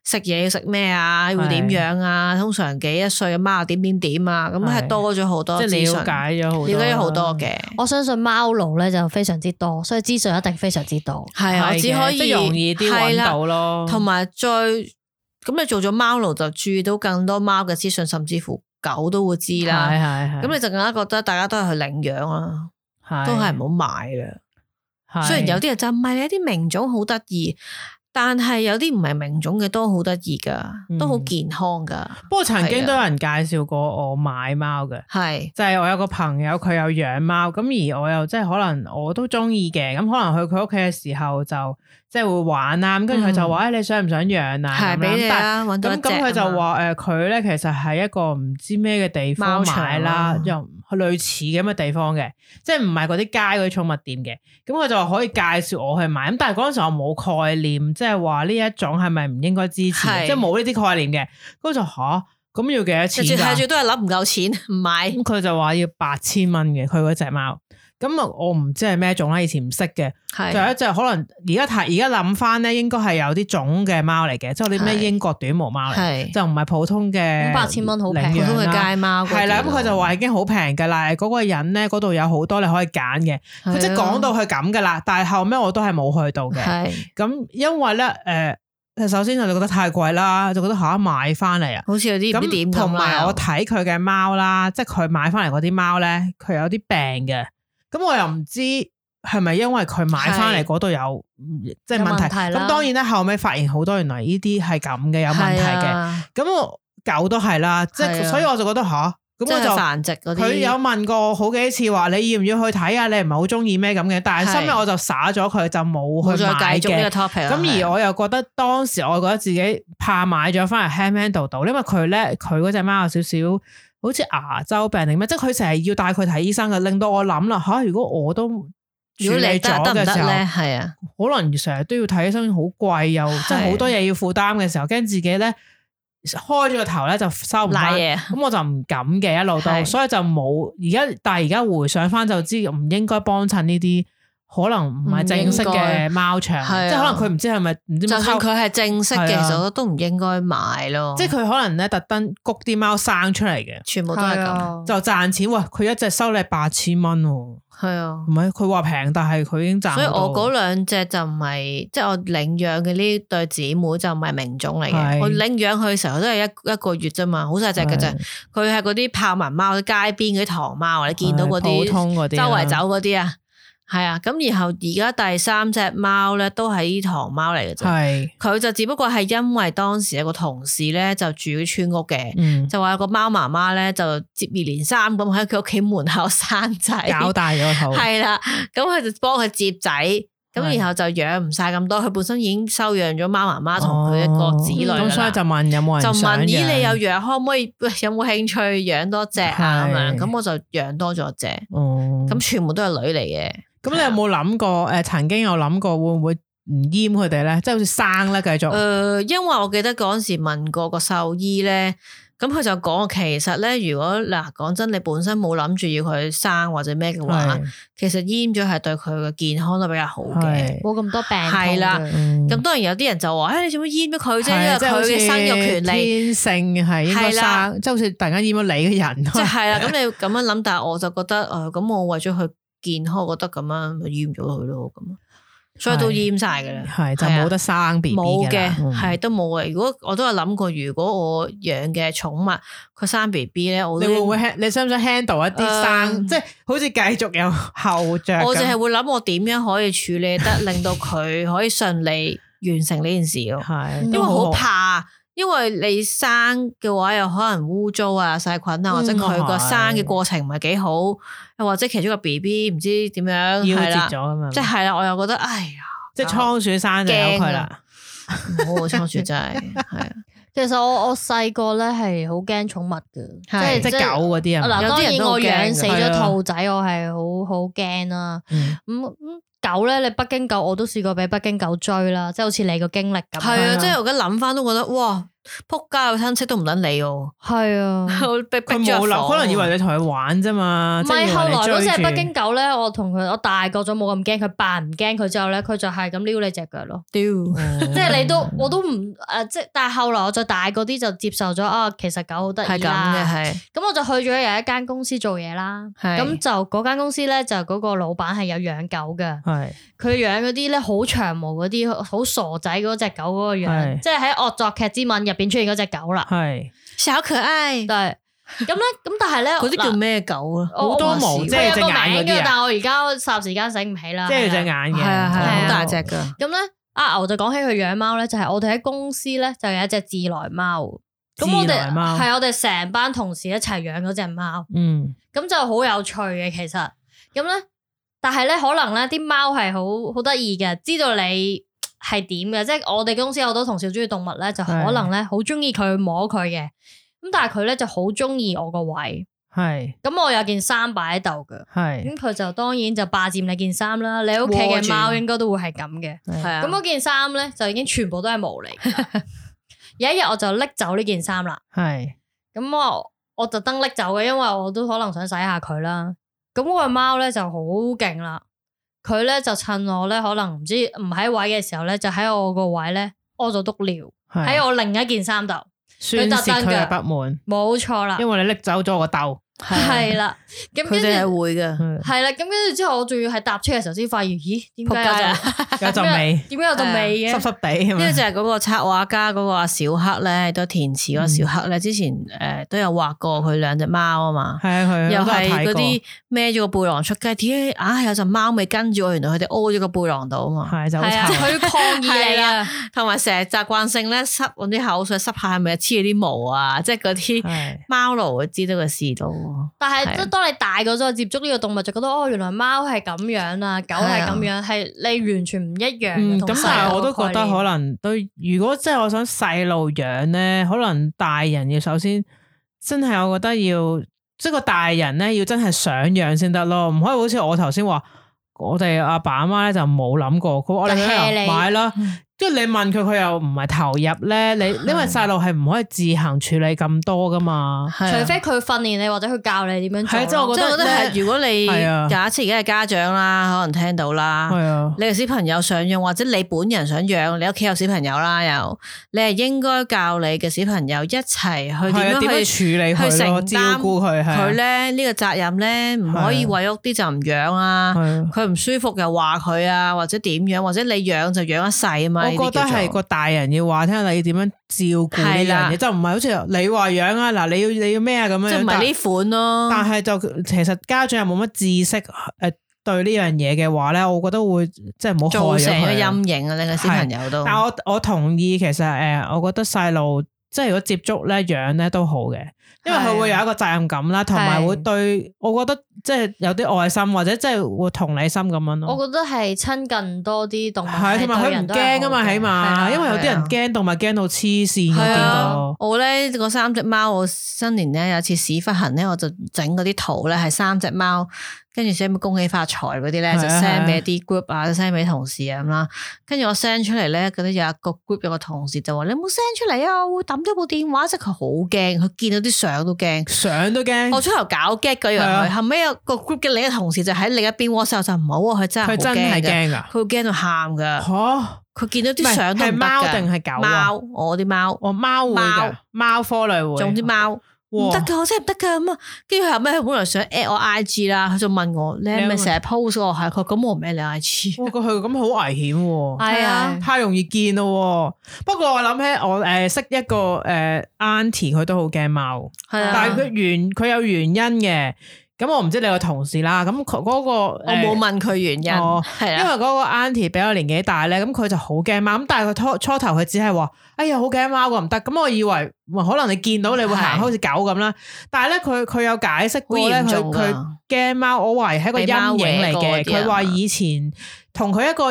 食嘢要食咩啊，會點樣啊？通常幾一歲嘅貓點點點啊，咁係多咗好多，即係了解咗好多，了解咗好多嘅。我相信貓奴咧就非常之多，所以資訊一定非常之多。係我只可以容易啲揾到。同埋再咁你做咗貓奴就注意到更多貓嘅資訊，甚至乎狗都會知啦。係係係。咁你就更加覺得大家都係去領養啦，係都係唔好買啦。雖然有啲人就唔係，有啲名種好得意。但係有啲唔係名種嘅都好得意噶，都好健康噶。嗯、不過曾經都有人介紹過我買貓嘅，係的就係我有個朋友佢有養貓，咁而我又即係可能我都中意嘅，咁可能去佢屋企嘅時候就即係會玩啦，咁跟住佢就話誒、嗯、你想唔想養啊？係俾你啦，搵到一隻。咁咁佢就話誒佢咧其實係一個唔知咩嘅地方買啦，又類似咁嘅地方嘅，即係唔係嗰啲街嗰啲寵物店嘅。咁佢就話可以介紹我去買，咁但係嗰陣時我冇概念，即係話呢一種係咪唔應該支持？是即係冇呢啲概念嘅。咁就吓咁要幾多錢？睇住都係諗唔夠錢唔買。咁佢就話要八千蚊嘅，佢嗰隻貓。咁啊，我唔知係咩種啦，以前唔識嘅。係就有一隻可能而家睇而家諗翻咧，應該係有啲種嘅貓嚟嘅，即係啲咩英國短毛貓嚟，就唔係普通嘅。八千蚊好平，普通嘅街貓。係啦，咁佢就話已經好平噶啦，嗰個人咧嗰度有好多你可以揀嘅，佢即係講到佢咁噶啦。但係後尾我都係冇去到嘅。係咁，因為咧誒，首先我就覺得太貴啦，就覺得嚇買翻嚟啊，好似有啲唔知點咁。同埋我睇佢嘅貓啦，即係佢買翻嚟嗰啲貓咧，佢有啲病嘅。咁我又唔知係咪因為佢買翻嚟嗰度有即係問題，咁當然咧後尾發現好多原來呢啲係咁嘅有問題嘅，咁我狗都係啦，即係所以我就覺得吓，咁我就繁殖嗰啲，佢有問過好幾次話你要唔要去睇啊？你唔係好中意咩咁嘅，但係後尾我就灑咗佢就冇去買嘅。咁而我又覺得當時我覺得自己怕買咗翻嚟 handle 到，因為佢咧佢嗰隻貓有少少。好似牙周病定咩？即係佢成日要帶佢睇醫生嘅，令到我諗啦吓。如果我都處理咗嘅時候，係啊，可能成日都要睇醫生，好貴又即係好多嘢要負擔嘅時候，驚自己咧開咗個頭咧就收唔翻，咁我就唔敢嘅一路都，所以就冇而家。但係而家回想翻就知唔應該幫襯呢啲。可能唔係正式嘅貓場，即係可能佢唔知係咪唔知。就算佢係正式嘅，其實都唔應該買咯。即係佢可能咧特登谷啲貓生出嚟嘅，全部都係咁就賺錢。喂，佢一隻收你八千蚊，係啊，唔係佢話平，但係佢已經賺。所以我嗰兩隻就唔係，即係我領養嘅呢對姊妹就唔係名種嚟嘅。我領養佢嘅時候都係一一個月啫嘛，好細隻嘅啫。佢係嗰啲豹紋貓，街邊嗰啲唐貓，你見到嗰啲普通嗰啲，周圍走嗰啲啊。係啊，咁然後而家第三隻貓咧都係啲唐貓嚟嘅啫，係佢就只不過係因為當時有個同事咧就住喺村屋嘅，嗯、就話有個貓媽媽咧就接二連三咁喺佢屋企門口生仔，搞大咗個肚，係啦，咁佢就幫佢接仔，咁然後就養唔晒咁多，佢本身已經收養咗貓媽媽同佢一個子女啦，咁、哦、所以就問有冇人就問咦你有養可唔可以有冇興趣養多隻啊咁樣，咁我就養多咗隻，咁、哦、全部都係女嚟嘅。咁你有冇諗過？誒、呃，曾經有諗過會唔會唔閹佢哋咧？即係好似生咧，繼續。誒、呃，因為我記得嗰陣時問過個獸醫咧，咁佢就講，其實咧，如果嗱講真，你本身冇諗住要佢生或者咩嘅話，是其實閹咗係對佢嘅健康都比較好嘅，冇咁多病。係啦，咁、嗯、當然有啲人就話，誒、哎，你做乜閹咗佢啫？因為佢嘅生育權利天性係應該生，即係好似突然間閹咗你嘅人。即係係啦，咁你咁樣諗，但係我就覺得，誒、呃，咁我為咗佢健康，我覺得咁樣咪閹咗佢咯，咁，所以都閹晒噶啦，係就冇得生 B B 冇嘅，係都冇嘅。如果我都有諗過，如果我養嘅寵物佢生 B B 咧，我你會唔會你想唔想 handle 一啲生，呃、即係好似繼續有後着？我淨係會諗我點樣可以處理得令到佢可以順利完成呢件事咯，係因為好怕。因為你生嘅話，有可能污糟啊、細菌啊，或者佢個生嘅過程唔係幾好，又或者其中個 B B 唔知點樣夭折咗咁樣，即係啦，我又覺得哎呀，即係倉鼠生就由佢啦，唔好倉鼠真係係啊。其實我我細個咧係好驚寵物嘅，即係即係狗嗰啲啊。嗱，當然我養死咗兔仔，我係好好驚啦。咁狗咧，你北京狗我都試過俾北京狗追啦，即係好似你個經歷咁。係啊，即係我而家諗翻都覺得哇，仆街個親戚都唔捻理我。係啊，佢冇諗，可能以為你同佢玩啫嘛。唔係，後來嗰隻北京狗咧，我同佢我大個咗冇咁驚，佢扮唔驚佢之後咧，佢就係咁撩你隻腳咯。屌，即係你都我都唔誒，即係但係後來我再大個啲就接受咗啊，其實狗好得意啦。係咁嘅，係。咁我就去咗有一間公司做嘢啦。係。咁就嗰間公司咧，就嗰個老闆係有養狗嘅。係。佢養嗰啲咧好長毛嗰啲好傻仔嗰隻狗嗰個樣，即係喺惡作劇之吻入邊出現嗰隻狗啦。係小可愛，但係咁咧，咁但係咧，嗰啲叫咩狗啊？好多毛，即係隻眼嗰啲啊！但係我而家霎時間醒唔起啦。即係隻眼嘅，係啊係啊，好大隻噶。咁咧，阿牛就講起佢養貓咧，就係我哋喺公司咧就有一隻自來貓。咁我哋係我哋成班同事一齊養嗰隻貓。嗯，咁就好有趣嘅其實。咁咧。但係咧，可能咧啲貓係好好得意嘅，知道你係點嘅，即係我哋公司有好多同事中意動物咧，就可能咧好中意佢摸佢嘅，咁但係佢咧就好中意我個位，係，咁我有件衫擺喺度嘅，係，咁佢就當然就霸佔你件衫啦，你屋企嘅貓應該都會係咁嘅，係啊，咁嗰件衫咧就已經全部都係毛嚟嘅，有一日我就拎走呢件衫啦，係，咁我我特登拎走嘅，因為我都可能想洗下佢啦。咁嗰個貓咧就好勁啦，佢咧就趁我咧可能唔知唔喺位嘅時候咧，就喺我個位咧屙咗督尿喺我另一件衫度，宣泄佢嘅不滿，冇錯啦，因為你拎走咗個竇。係啦，咁佢哋係會嘅，係啦，咁跟住之後我仲要係搭車嘅時候先發現，咦，點解有陣味？點解有陣味嘅？濕濕地，呢個就係嗰個插畫家嗰個阿小黑咧，都填詞嗰個小黑咧，之前誒都有畫過佢兩隻貓啊嘛，係啊係，又係嗰啲孭咗個背囊出街，點解硬係有陣貓味跟住我？原來佢哋屙咗個背囊度啊嘛，係就好臭，佢抗議你啊，同埋成日習慣性咧濕嗰啲口水濕下係咪黐住啲毛啊？即係嗰啲貓奴會知道佢試到。但係即係當你大個咗接觸呢個動物，就覺得哦，原來貓係咁樣啊，狗係咁樣，係你完全唔一樣。嗯，咁但係我都覺得可能都，如果即係我想細路養咧，可能大人要首先真係，我覺得要即係個大人咧要真係想養先得咯，唔可以好似我頭先話，我哋阿爸阿媽咧就冇諗過，佢我哋買啦。即係你問佢，佢又唔係投入咧。你因為細路係唔可以自行處理咁多噶嘛，除非佢訓練你或者佢教你點樣做。係即係我覺得係，如果你假設而家係家長啦，可能聽到啦，你個小朋友想養或者你本人想養，你屋企有小朋友啦，又你係應該教你嘅小朋友一齊去點樣去處理佢，去承擔照顧佢。佢咧呢個責任咧，唔可以為屋啲就唔養啊。佢唔舒服又話佢啊，或者點樣，或者你養就養一世啊嘛。我覺得係個大人要話聽下你點樣照顧呢樣嘢，就唔係好似你話養啊，嗱你要你要咩啊咁樣，即係唔係呢款咯。但係就其實家長又冇乜知識誒對呢樣嘢嘅話咧，我覺得會即係唔好造成個陰影啊！你個小朋友都。但係我我同意，其實誒，我覺得細路即係如果接觸咧養咧都好嘅。因為佢會有一個責任感啦，同埋會對我覺得即係有啲愛心或者即係會同理心咁樣咯。我覺得係親近多啲動物，係同埋佢唔驚啊嘛，起碼因為有啲人驚動物驚到黐線嘅見到。我咧嗰三隻貓，我新年咧有次屎忽痕咧，我就整嗰啲圖咧係三隻貓。跟住寫咩恭喜發財嗰啲咧，就 send 俾啲 group 啊，send 俾同事啊咁啦。跟住我 send 出嚟咧，嗰啲有一個 group 有個同事就話：你冇 send 出嚟啊，我會抌咗部電話。即係佢好驚，佢見到啲相都驚，相都驚。我出頭搞 get 嗰樣佢，後尾有個 group 嘅另一個同事就喺另一邊 WhatsApp 就唔好啊，佢真係好驚㗎，佢真係驚㗎，佢會驚到喊㗎。嚇！佢見到啲相都唔得㗎。係貓定係狗？貓，我啲貓，我貓會㗎，貓科類會。總之貓。唔得噶，我真係唔得噶咁啊！跟住後尾佢本來想 at 我 I G 啦，佢就問我你係咪成日 post 我？係佢咁我唔 at 你 I G。哇，佢咁好危險喎！係啊，太容易見咯。不過我諗起我誒識一個誒 auntie，佢都好驚貓，係啊，但係佢原佢有原因嘅。咁我唔知你個同事啦，咁佢嗰個我冇問佢原因，係啊，因為嗰個 auntie 比我年紀大咧，咁佢就好驚貓，咁但係佢初初頭佢只係話，哎呀好驚貓個唔得，咁我以為可能你見到你會行好似狗咁啦，但係咧佢佢有解釋過咧，佢佢驚貓，我懷疑係一個陰影嚟嘅，佢話以前同佢一個，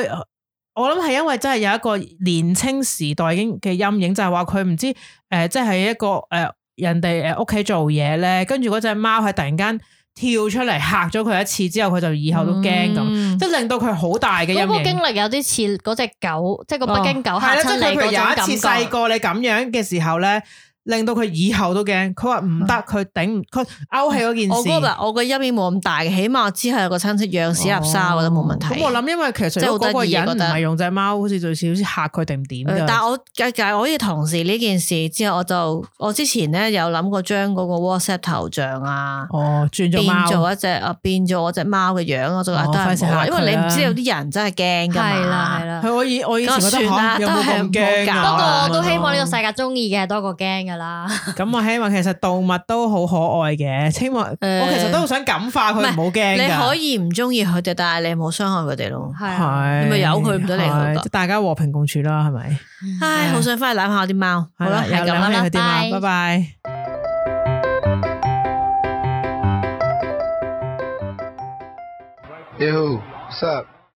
我諗係因為真係有一個年青時代已經嘅陰影，就係話佢唔知誒，即係一個誒人哋誒屋企做嘢咧，跟住嗰隻貓係突然間跳出嚟嚇咗佢一次之後，佢就以後都驚咁，嗯、即係令到佢好大嘅陰影。嗰個經歷有啲似嗰隻狗，即係個北京狗嚇親你嗰種感覺。有一次細個你咁樣嘅時候咧，令到佢以後都驚。佢話唔得，佢頂唔，佢勾起嗰件事。我覺得我個陰影冇咁大嘅，起碼我之後有個親戚養屎立沙，我覺得冇問題。咁我諗，因為其實嗰個人唔係用隻貓，好似最少好似嚇佢定點㗎。但係我介介我呢同事呢件事之後，我就我之前咧有諗過將嗰個 WhatsApp 頭像啊，哦轉咗變做一隻啊，變做我隻貓嘅樣，我就覺得都係好，因為你唔知有啲人真係驚㗎嘛。係啦係啦。係我以我以前覺得嚇有冇咁驚啊？不過我都希望呢個世界中意嘅多過驚㗎啦。咁我希望其實動物都好可愛嘅，希望我其實都好想感化佢唔好驚。你可以唔中意佢哋，但係你冇傷害佢哋咯。係，你咪由佢唔得嚟。大家和平共處啦，係咪？唉，好想翻去攬下啲貓。好啦，係咁啦，佢啲貓，拜拜。Yo, what's up?